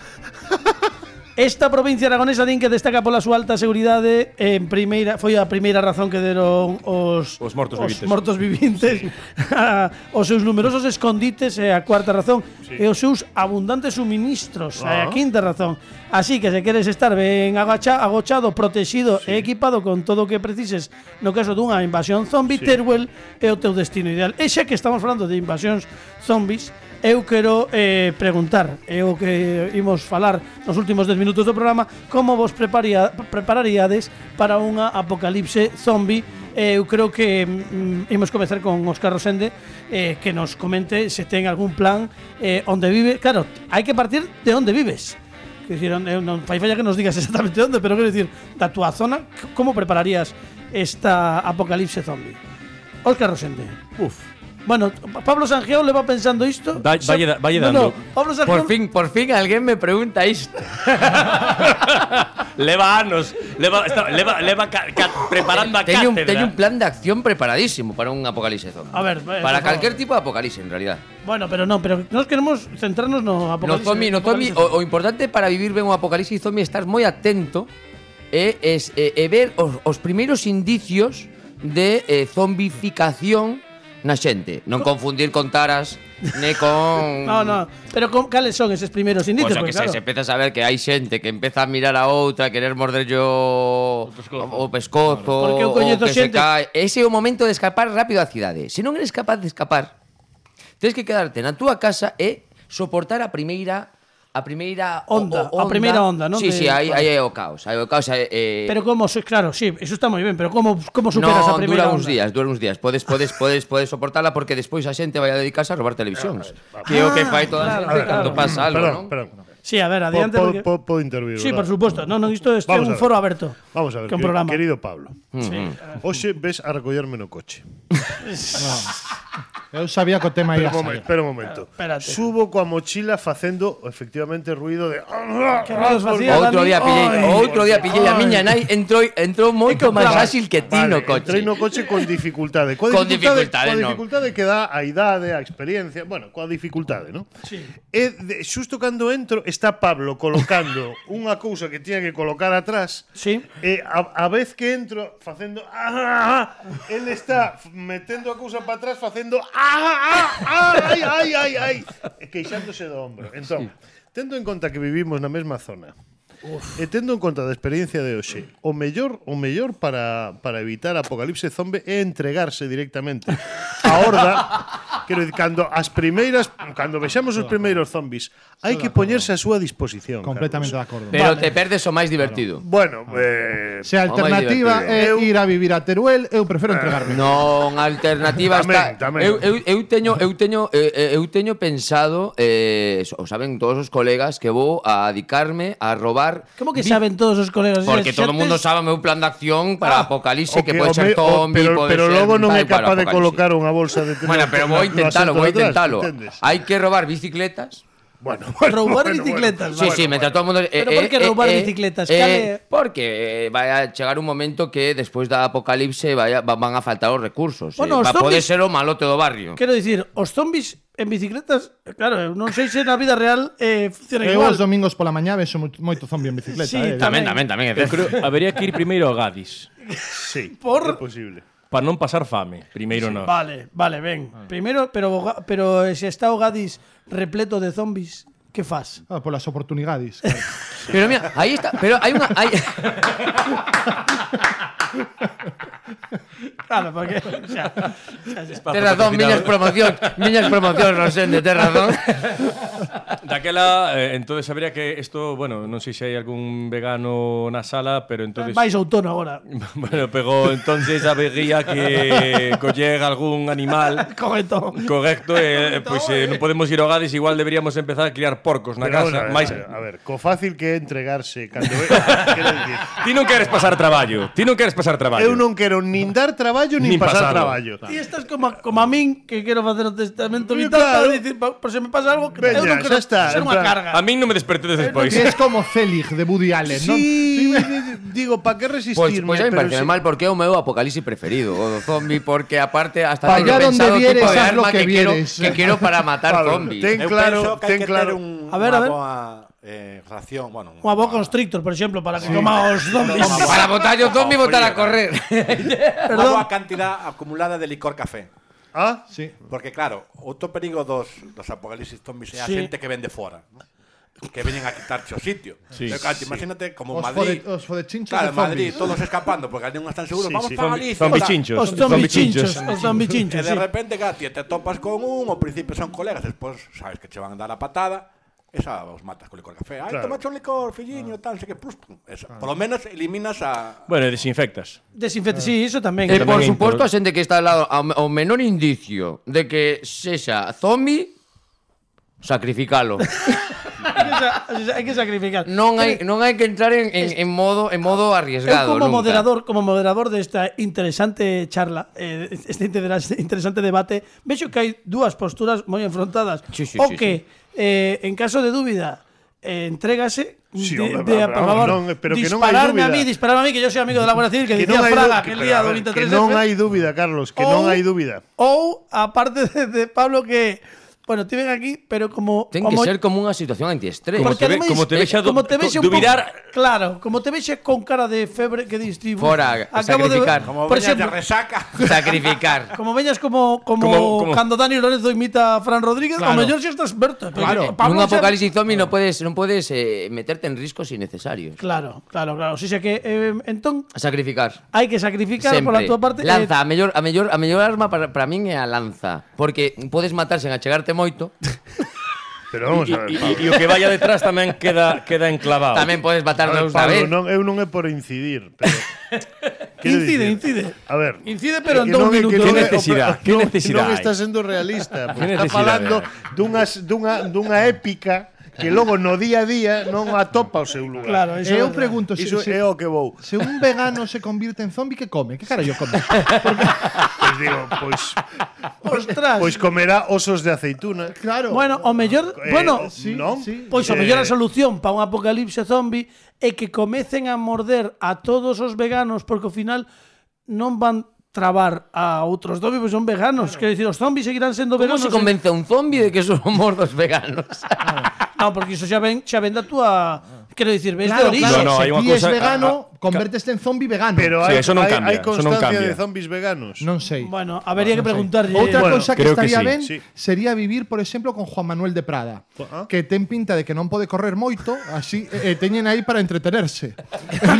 Speaker 2: esta provincia aragonesa din que destaca pola súa alta seguridade. En primeira foi a primeira razón que deron os
Speaker 6: Os mortos vivintes.
Speaker 2: mortos vivintes a, os seus numerosos escondites e a cuarta razón sí. e os seus abundantes suministros ah. e a quinta razón. Así que se queres estar ben agacha, agochado, protegido sí. e equipado con todo o que precises no caso dunha invasión zombie, sí. Teruel é o teu destino ideal. E xa que estamos falando de invasións zombies, eu quero eh, preguntar, é o que imos falar nos últimos dez minutos do programa, como vos preparia, prepararíades para unha apocalipse zombie. Eh, eu creo que mm, imos comezar con Óscar Rosende, eh, que nos comente se ten algún plan eh, onde vive. Claro, hai que partir de onde vives. Quer dicir, onde, non fai falla que nos digas exactamente onde, pero quero dicir, da túa zona, como prepararías esta apocalipse zombie? Óscar Rosende.
Speaker 6: Uf.
Speaker 2: Bueno, Pablo Sanjeo le va pensando isto.
Speaker 6: Da- valle da- valle
Speaker 2: No, no,
Speaker 6: dando.
Speaker 2: Pablo Sanjeo.
Speaker 3: Por fin, por fin alguén me pregunta isto.
Speaker 6: Leva anos, leva, está, leva, leva ca, ca, preparando a
Speaker 3: Teño un,
Speaker 6: cátedra.
Speaker 3: teño un plan de acción preparadísimo para un apocalipse zombie.
Speaker 2: A ver, eh,
Speaker 3: para
Speaker 2: por
Speaker 3: calquer
Speaker 2: favor.
Speaker 3: tipo de apocalipse, en realidad.
Speaker 2: Bueno, pero no, pero nos queremos centrarnos no
Speaker 3: No
Speaker 2: apocalipse.
Speaker 3: zombie, no zombie,
Speaker 2: apocalipse.
Speaker 3: o, o importante para vivir ben un apocalipse zombie é estar moi atento e, es, e, e ver os, os primeiros indicios de eh, zombificación na xente. Non confundir con taras, ne con...
Speaker 2: No, no, pero con, cales son eses primeiros indicios?
Speaker 3: Pois o que
Speaker 2: Porque,
Speaker 3: se,
Speaker 2: claro,
Speaker 3: se empeza a saber que hai xente que empeza a mirar a outra, querer morderlle o
Speaker 6: pescozo.
Speaker 3: o pescozo,
Speaker 2: Porque eu
Speaker 3: o
Speaker 2: coñezo
Speaker 3: que se
Speaker 2: xente-
Speaker 3: cae. Ese é o momento de escapar rápido á cidade. Se non eres capaz de escapar, Tens que quedarte na túa casa e soportar a primeira a primeira
Speaker 2: Onda,
Speaker 3: o, o
Speaker 2: a primeira onda, non?
Speaker 3: Sí,
Speaker 2: De-
Speaker 3: sí, aí
Speaker 2: vale.
Speaker 3: aí é o caos, aí é o caos eh,
Speaker 2: Pero como, so- claro, sí, eso está moi ben, pero como como superas
Speaker 3: no,
Speaker 2: a primeira
Speaker 3: dura
Speaker 2: onda?
Speaker 3: uns días, dura uns días. Podes podes podes podes soportala porque despois a xente vai a dedicarse a robar televisións. Que é o que fai toda a
Speaker 2: claro,
Speaker 3: xente
Speaker 2: claro.
Speaker 3: cando pasa algo,
Speaker 4: Perdón,
Speaker 3: non?
Speaker 4: perdón.
Speaker 2: Sí, a ver, adiante.
Speaker 4: Po-
Speaker 2: porque...
Speaker 4: po- Podo intervir,
Speaker 2: Sí, por
Speaker 4: verdad?
Speaker 2: supuesto. No, no, isto este é
Speaker 4: Vamos a
Speaker 2: un
Speaker 4: ver.
Speaker 2: foro aberto.
Speaker 4: Vamos a ver,
Speaker 2: Que un
Speaker 4: que-
Speaker 2: programa.
Speaker 4: querido Pablo.
Speaker 2: Sí.
Speaker 4: Hoxe ves a recollerme no coche.
Speaker 5: Eu sabía que o tema
Speaker 4: Espera
Speaker 5: ia
Speaker 4: un momento,
Speaker 5: sair.
Speaker 4: espera un momento.
Speaker 2: Espérate.
Speaker 4: Subo coa mochila facendo efectivamente ruido de
Speaker 2: Que ruidos facía
Speaker 3: Outro
Speaker 2: Dani?
Speaker 3: día pillei,
Speaker 2: Ai,
Speaker 3: outro día pillei a miña nai entrou entrou moito máis áxil que ti no
Speaker 4: Vale,
Speaker 3: coche.
Speaker 4: entrei no coche con dificultade. Coa
Speaker 3: Con
Speaker 4: dificultade,
Speaker 3: dificultade,
Speaker 4: coa
Speaker 3: no.
Speaker 4: dificultade que dá a idade, a experiencia, bueno, coa dificultade, ¿no?
Speaker 2: Sí.
Speaker 4: E de, xusto cando entro está Pablo colocando unha cousa que tiña que colocar atrás.
Speaker 2: Sí.
Speaker 4: E a, a vez que entro facendo ah, ah, ah, él está f- metendo a cousa para atrás facendo ah, ah, ah, ai, ai, ai, ai, e queixándose do ombro. Entón, tendo en conta que vivimos na mesma zona, e tendo en conta da experiencia de hoxe, o mellor, o mellor para, para evitar apocalipse zombie é entregarse directamente á horda. Quero dicir, cando as primeiras, cando vexamos os primeiros zombies, hai que poñerse a súa disposición.
Speaker 5: Completamente de
Speaker 4: Carlos.
Speaker 5: acordo.
Speaker 3: Pero te perdes o máis divertido.
Speaker 4: Bueno, eh,
Speaker 5: Se a
Speaker 3: O máis
Speaker 5: alternativa é
Speaker 4: divertido.
Speaker 5: ir a vivir a Teruel, eu prefiro entregarme.
Speaker 3: Non, a alternativa
Speaker 4: Tamén,
Speaker 3: está.
Speaker 4: tamén.
Speaker 3: Eu, eu, eu teño eu teño eh, eu teño pensado eh, o saben todos os colegas que vou a dedicarme a robar
Speaker 2: Como que
Speaker 3: vi-
Speaker 2: saben todos os colegas?
Speaker 3: Porque
Speaker 2: Xa
Speaker 3: todo o mundo
Speaker 2: tes-
Speaker 3: sabe o meu plan de acción para
Speaker 4: Ah,
Speaker 3: apocalipse
Speaker 4: o
Speaker 3: que pode
Speaker 4: o
Speaker 3: ser
Speaker 4: me- o-
Speaker 3: zombie,
Speaker 4: pero,
Speaker 3: pode
Speaker 4: pero
Speaker 3: ser
Speaker 4: logo non
Speaker 3: tal
Speaker 4: é
Speaker 3: para
Speaker 4: capaz de
Speaker 3: apocalipse.
Speaker 4: colocar unha bolsa de
Speaker 3: Bueno, pero vou
Speaker 4: no- no
Speaker 3: intentalo,
Speaker 4: asiento
Speaker 3: vou
Speaker 4: de atrás,
Speaker 3: intentalo.
Speaker 4: entendes?
Speaker 3: Hai que robar bicicletas.
Speaker 4: Bueno, bueno,
Speaker 2: Roubar
Speaker 4: bueno,
Speaker 2: bicicletas,
Speaker 3: Sí,
Speaker 2: vale.
Speaker 3: sí, mentre todo o mundo eh,
Speaker 2: Pero por que
Speaker 3: eh,
Speaker 2: roubar
Speaker 3: eh,
Speaker 2: bicicletas?
Speaker 3: eh,
Speaker 2: Cale-
Speaker 3: Porque eh, vai a chegar un momento que despois da apocalipse vai a, va- van a faltar os recursos.
Speaker 2: Bueno,
Speaker 3: eh,
Speaker 2: os
Speaker 3: va poder
Speaker 2: zombies-
Speaker 3: ser o malote do barrio.
Speaker 2: Quero dicir, os zombies en bicicletas, claro, eu non sei se na vida real eh, funciona
Speaker 5: Eu
Speaker 2: igual.
Speaker 5: os domingos pola mañá vexo mo- moito zombie en bicicleta.
Speaker 2: Sí,
Speaker 5: eh.
Speaker 3: Tamén, tamén, tamén.
Speaker 6: Eu creo habería que ir primeiro a Gadis
Speaker 4: Sí,
Speaker 2: Por-
Speaker 4: é posible.
Speaker 6: para non pasar fame. Primeiro non.
Speaker 2: Vale, vale, ben. Primeiro, pero o Ga- pero se está o Gadis repleto de zombies, que fas?
Speaker 5: Ah, polas oportunidades. Claro.
Speaker 3: Pero mira, aí está, pero hai unha hai
Speaker 2: Claro, porque o sea,
Speaker 3: Tes razón, miñas promocións, miñas promocións, Rosende, tes razón.
Speaker 6: Daquela, eh, entonces habría que isto, bueno, non sei se hai algún vegano na sala, pero entonces
Speaker 2: vais ao tono agora.
Speaker 6: bueno, pegou entonces habría que coller algún animal
Speaker 2: Correcto.
Speaker 6: correcto, eh, pois eh, non podemos ir ao Gadis, igual deberíamos empezar a criar porcos na
Speaker 4: Pero,
Speaker 6: casa,
Speaker 4: bueno,
Speaker 6: máis
Speaker 4: a ver, co fácil que é entregarse cando ve, quero dicir,
Speaker 6: Ti non queres pasar traballo, ti non queres pasar traballo.
Speaker 4: eu non quero nin dar traballo nin,
Speaker 6: Nin
Speaker 4: pasar
Speaker 6: pasalo.
Speaker 4: traballo.
Speaker 2: E estás como, a- como a min, que quero facer o testamento
Speaker 4: Sí,
Speaker 2: vital
Speaker 4: claro.
Speaker 2: para dicir, pa- por se me pasa algo, que
Speaker 4: Veña,
Speaker 2: eu non quero
Speaker 4: xa está,
Speaker 2: ser
Speaker 4: en
Speaker 2: unha
Speaker 4: plan-
Speaker 2: carga.
Speaker 6: A min non me despertedes despois.
Speaker 5: Que es como Zelig de Woody Allen, non?
Speaker 4: Sí, digo, pa que
Speaker 3: Pois
Speaker 4: resistirme?
Speaker 3: pois a mí
Speaker 4: pero
Speaker 3: parece
Speaker 4: si-
Speaker 3: mal porque é o meu apocalipsis preferido, o do zombie, porque aparte hasta
Speaker 5: Pa
Speaker 3: teño
Speaker 5: allá donde
Speaker 3: pensado o
Speaker 5: vieres,
Speaker 3: tipo de
Speaker 5: haz lo
Speaker 3: arma
Speaker 5: que
Speaker 3: que, quiero,
Speaker 5: vieres.
Speaker 3: que quiero para matar
Speaker 4: Pablo,
Speaker 3: zombies.
Speaker 4: ten
Speaker 7: Eu
Speaker 4: claro,
Speaker 7: penso que hai
Speaker 4: ten
Speaker 7: que
Speaker 4: claro.
Speaker 7: ter un,
Speaker 2: A ver,
Speaker 7: unha
Speaker 2: a ver.
Speaker 7: boa eh, ración, bueno,
Speaker 2: Unha boa constrictor, por exemplo, para que coma os zombies.
Speaker 3: Para botar o zombie e botar a correr.
Speaker 7: unha
Speaker 2: Perdón.
Speaker 7: boa cantidad acumulada de licor café.
Speaker 4: Ah,
Speaker 5: Sí.
Speaker 7: Porque claro, outro perigo dos, dos apocalipsis zombies é a
Speaker 2: Sí.
Speaker 7: xente que vende fora, ¿no? Que veñen a quitarche o sitio.
Speaker 6: Sí.
Speaker 7: Pero, claro, imagínate como
Speaker 5: Os
Speaker 7: Madrid.
Speaker 5: fode- os fodechinchos
Speaker 7: Claro,
Speaker 5: de
Speaker 7: en Madrid,
Speaker 5: zombies.
Speaker 7: todos escapando porque ali non están seguros.
Speaker 4: Sí,
Speaker 7: Vamos
Speaker 4: sí.
Speaker 7: para
Speaker 6: Zombi-
Speaker 7: Galicia.
Speaker 6: zombi
Speaker 7: tal.
Speaker 6: chinchos.
Speaker 2: Os zombi chinchos, os zombi
Speaker 7: E
Speaker 2: chinchos,
Speaker 7: de
Speaker 2: sí.
Speaker 7: repente, claro, ti te topas con un, ao principio son colegas, despois sabes que che van a dar a patada, esa os matas con licor café. Ai,
Speaker 4: Claro.
Speaker 7: tomache un licor, filliño, tal, sei que plus, pum. Esa. Por lo menos eliminas a
Speaker 6: Bueno, e desinfectas.
Speaker 2: Desinfecte, sí, iso tamén.
Speaker 3: E por
Speaker 6: Tamén
Speaker 3: suposto
Speaker 6: impor-
Speaker 3: a xente que está al lado ao, ao menor indicio de que sexa zombie, sacrificalo.
Speaker 2: Hai que sa- hai que sacrificar.
Speaker 3: Non hai non hai que entrar en, en, en modo en modo
Speaker 2: Eu
Speaker 3: arriesgado
Speaker 2: como
Speaker 3: nunca.
Speaker 2: moderador, como moderador desta interesante charla, eh, este interesa- interesante debate, vexo que hai dúas posturas moi enfrontadas.
Speaker 3: Sí, sí,
Speaker 2: o
Speaker 3: sí,
Speaker 2: que eh, en caso de dúbida eh, entrégase
Speaker 4: Sí,
Speaker 2: de,
Speaker 4: hombre,
Speaker 2: de,
Speaker 4: vamos,
Speaker 2: por favor,
Speaker 4: non, pero que non hai
Speaker 2: dispararme a
Speaker 4: dúbida.
Speaker 2: mí, dispararme a mí, que yo soy amigo de la Guardia Civil, que,
Speaker 4: que
Speaker 2: dicía
Speaker 4: non hai
Speaker 2: Fraga
Speaker 4: du-
Speaker 2: aquel
Speaker 4: pero,
Speaker 2: día
Speaker 4: a
Speaker 2: do
Speaker 4: ver,
Speaker 2: veintitrés
Speaker 4: que non
Speaker 2: F.
Speaker 4: hai dúbida, Carlos, que
Speaker 2: Ou-
Speaker 4: non hai dúbida.
Speaker 2: Ou, aparte de, de Pablo, que Bueno, te ven aquí, pero como...
Speaker 3: Ten que
Speaker 2: como
Speaker 3: ser como unha situación antiestrés.
Speaker 6: Como
Speaker 2: Porque
Speaker 6: te ve-
Speaker 2: ademais,
Speaker 6: como te vexa
Speaker 2: eh, como
Speaker 6: du-
Speaker 2: te vexa
Speaker 6: co-
Speaker 2: un pouco-
Speaker 6: dubirar-
Speaker 2: Claro, como te vexe con cara de febre que dis ti,
Speaker 3: Fora,
Speaker 2: acabo
Speaker 3: sacrificar.
Speaker 2: de
Speaker 7: Como
Speaker 2: por
Speaker 7: veñas de
Speaker 2: exemplo,
Speaker 7: resaca.
Speaker 3: Sacrificar.
Speaker 2: como veñas como como,
Speaker 6: Como- como-
Speaker 2: cando Dani Lorenzo imita a Fran Rodríguez,
Speaker 5: Claro.
Speaker 2: o mellor xa estás verto.
Speaker 5: Claro.
Speaker 2: Pablo
Speaker 3: Nun
Speaker 2: xa-
Speaker 3: apocalipsis zombie non podes non podes eh, meterte en riscos innecesarios.
Speaker 2: Claro, claro, claro. O sea que eh, entón
Speaker 3: A sacrificar.
Speaker 2: hai que sacrificar
Speaker 3: Sempre.
Speaker 2: pola túa parte.
Speaker 3: Lanza, a mellor a mellor a mellor arma para para min é a lanza, porque podes matar sen achegarte moito.
Speaker 4: Pero vamos
Speaker 6: E,
Speaker 4: a ver,
Speaker 6: e,
Speaker 4: Pablo.
Speaker 6: e o que vaya detrás tamén queda queda enclavado.
Speaker 3: Tamén podes matar
Speaker 4: A ver,
Speaker 3: dous da
Speaker 4: Pablo,
Speaker 3: vez.
Speaker 4: non, eu non é por incidir, pero... quero
Speaker 2: Incide,
Speaker 4: dicir,
Speaker 2: incide.
Speaker 4: A ver...
Speaker 2: Incide, pero en
Speaker 4: que
Speaker 2: dous
Speaker 4: non é- que
Speaker 2: minutos.
Speaker 4: non
Speaker 6: Que
Speaker 4: é-
Speaker 6: necesidade,
Speaker 4: o-
Speaker 6: que
Speaker 4: non-
Speaker 6: necesidade
Speaker 4: Non
Speaker 6: hai?
Speaker 4: está sendo realista, porque
Speaker 6: Que
Speaker 4: está
Speaker 6: necesidade
Speaker 4: falando
Speaker 6: hai?
Speaker 4: dunhas, dunha, dunha épica que logo no día a día non atopa o seu lugar.
Speaker 2: Claro,
Speaker 5: E
Speaker 2: eso
Speaker 5: eu
Speaker 2: é verdade.
Speaker 5: pregunto, se,
Speaker 4: Iso
Speaker 5: se,
Speaker 4: é o que vou.
Speaker 5: se un vegano se convirte en zombie, que come? Que carallo come?
Speaker 4: Pois digo, pois,
Speaker 2: Ostras.
Speaker 4: pois comerá osos de aceituna.
Speaker 5: Claro.
Speaker 2: Bueno, o mellor,
Speaker 4: Eh,
Speaker 2: bueno,
Speaker 5: sí,
Speaker 4: non?
Speaker 5: sí.
Speaker 2: pois o
Speaker 4: Eh,
Speaker 2: mellor a solución para un apocalipse zombie é que comecen a morder a todos os veganos porque ao final non van trabar a outros zombies, pois son veganos. Quero dicir, os zombies seguirán sendo
Speaker 3: Como
Speaker 2: veganos.
Speaker 3: se convence a un zombie de que somos dos veganos?
Speaker 2: Non, porque iso xa ven, xa ven da túa, quero dicir, ves
Speaker 5: Claro,
Speaker 2: de orixe.
Speaker 5: claro,
Speaker 6: No, no, hai
Speaker 5: se
Speaker 6: unha
Speaker 5: ti és
Speaker 6: cousa-
Speaker 5: vegano,
Speaker 6: a- a-
Speaker 5: converteste en zombie vegano.
Speaker 4: Pero
Speaker 6: Sí,
Speaker 4: hai,
Speaker 6: eso non
Speaker 4: hai,
Speaker 6: cambia,
Speaker 4: hai
Speaker 6: eso non
Speaker 4: constancia
Speaker 6: cambia.
Speaker 4: de zombies veganos.
Speaker 5: Non sei.
Speaker 2: Bueno, habería que
Speaker 5: Non sei.
Speaker 2: preguntarlle.
Speaker 5: Outra
Speaker 4: Bueno,
Speaker 5: cousa que
Speaker 6: creo que
Speaker 5: estaría
Speaker 6: sí,
Speaker 5: ben
Speaker 4: sí.
Speaker 5: sería vivir, por exemplo, con Juan Manuel de Prada,
Speaker 4: Ah.
Speaker 5: que ten pinta de que non pode correr moito, así eh, eh, teñen aí para entretenerse.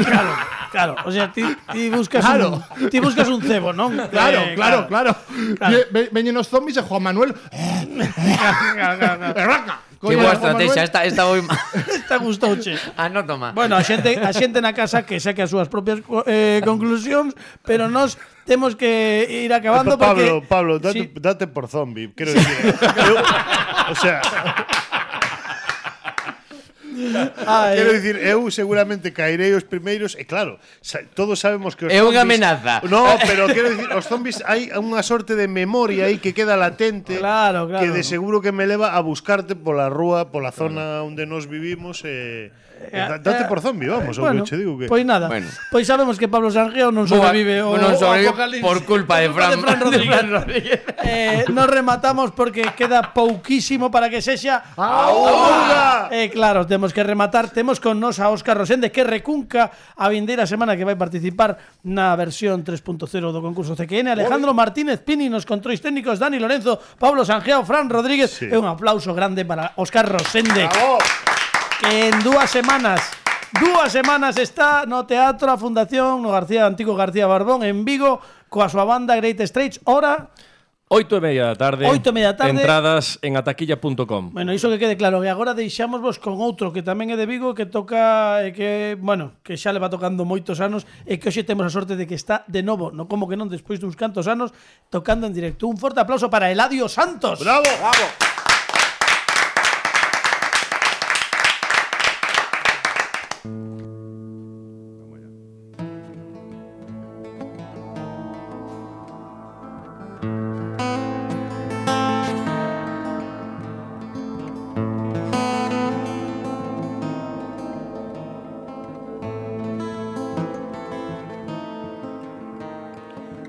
Speaker 2: Claro, claro. O sea, ti, ti buscas
Speaker 5: Claro.
Speaker 2: un ti buscas un cebo, non?
Speaker 5: Claro,
Speaker 2: Eh,
Speaker 5: claro, claro.
Speaker 2: Claro.
Speaker 5: Ve- ve- Veñen os zombies e Juan Manuel. Arranca.
Speaker 3: Que
Speaker 5: Coño,
Speaker 3: boa
Speaker 5: Juan
Speaker 3: estrategia,
Speaker 5: Manuel.
Speaker 3: esta esta moi mal.
Speaker 2: Está gustouche.
Speaker 3: Ah, no toma.
Speaker 2: Bueno, a xente, a xente na casa que saque as súas propias eh, conclusións, pero nós temos que ir acabando
Speaker 4: Pablo,
Speaker 2: porque
Speaker 4: Pablo, date,
Speaker 2: Sí.
Speaker 4: date por zombie. Quero dicir, eu, o sea,
Speaker 2: Ah,
Speaker 4: quero
Speaker 2: eh,
Speaker 4: dicir, eu seguramente caerei os primeiros e claro, sa, todos sabemos que os
Speaker 3: É unha
Speaker 4: zombies-
Speaker 3: amenaza.
Speaker 4: No, pero quero dicir, os zombies hai unha sorte de memoria aí que queda latente.
Speaker 2: Claro, claro.
Speaker 4: Que de seguro que me leva a buscarte pola rúa, pola zona onde nos vivimos e e da- date por zombie, vamos, o
Speaker 2: bueno,
Speaker 4: que che digo que
Speaker 2: Pois nada.
Speaker 3: Bueno.
Speaker 2: Pois sabemos que Pablo Sanjeo non
Speaker 3: Boa,
Speaker 2: sobrevive o,
Speaker 3: non sobrevive
Speaker 2: o apocalipsis
Speaker 3: por culpa de Fran- de
Speaker 2: Rodríguez.
Speaker 3: Fran Rodríguez.
Speaker 2: eh, nos rematamos porque queda pouquísimo para que sexa
Speaker 4: Auga!
Speaker 2: Eh, claro, temos que rematar. Temos con nos a Óscar Rosende que recunca a vindeira semana que vai participar na versión tres punto cero do concurso C Q N. Alejandro Martínez Pini nos controis técnicos, Dani Lorenzo, Pablo Sanjeo, Fran Rodríguez.
Speaker 4: Sí.
Speaker 2: E un aplauso grande para Óscar Rosende.
Speaker 4: Bravo!
Speaker 2: Que en dúas semanas Dúas semanas está no Teatro a Fundación no García Antigo García Barbón en Vigo coa súa banda Great Straits. Ora,
Speaker 6: Oito e media da tarde.
Speaker 2: Oito e media da tarde.
Speaker 6: Entradas en ataquilla punto com.
Speaker 2: bueno, iso que quede claro. E agora deixámosvos con outro que tamén é de Vigo, que toca e que, bueno, que xa leva tocando moitos anos e que hoxe temos a sorte de que está de novo, no como que non despois duns cantos anos, tocando en directo. Un forte aplauso para Eladio Santos.
Speaker 4: Bravo! Bravo!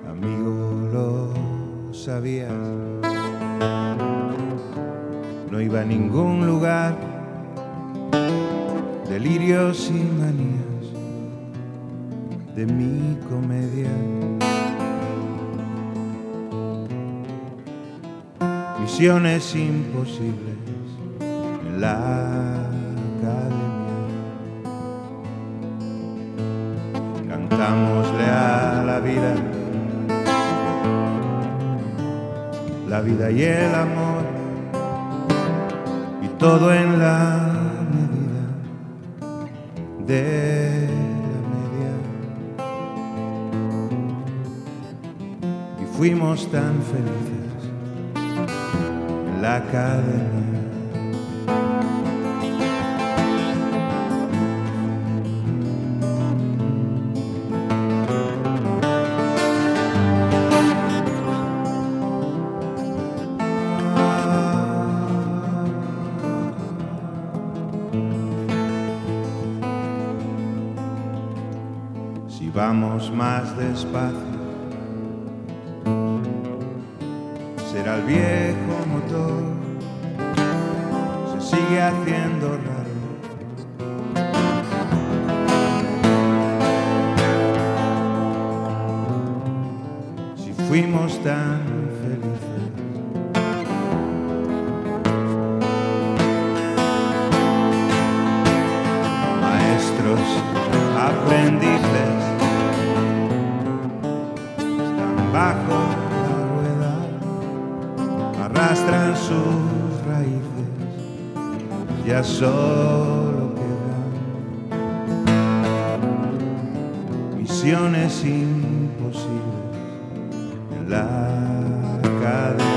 Speaker 9: Amigo, lo sabías. No iba a ningún lugar. Delirios y manías de mi comedia. Misiones imposibles en la academia. Cantámosle a la vida, la vida y el amor, y todo en la medida de la media. Y fuimos tan felices en la academia. Si vamos más despacio, será el viejo motor sigue haciendo raro. Si fuimos tan felices, maestros, aprendices, están bajo la rueda, arrastran sus raíces, ya solo quedan misiones imposibles en la academia.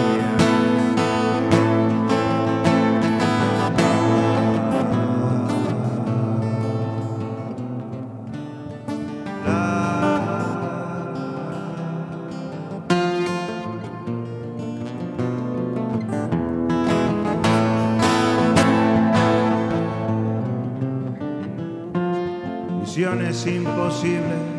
Speaker 9: Misiones imposibles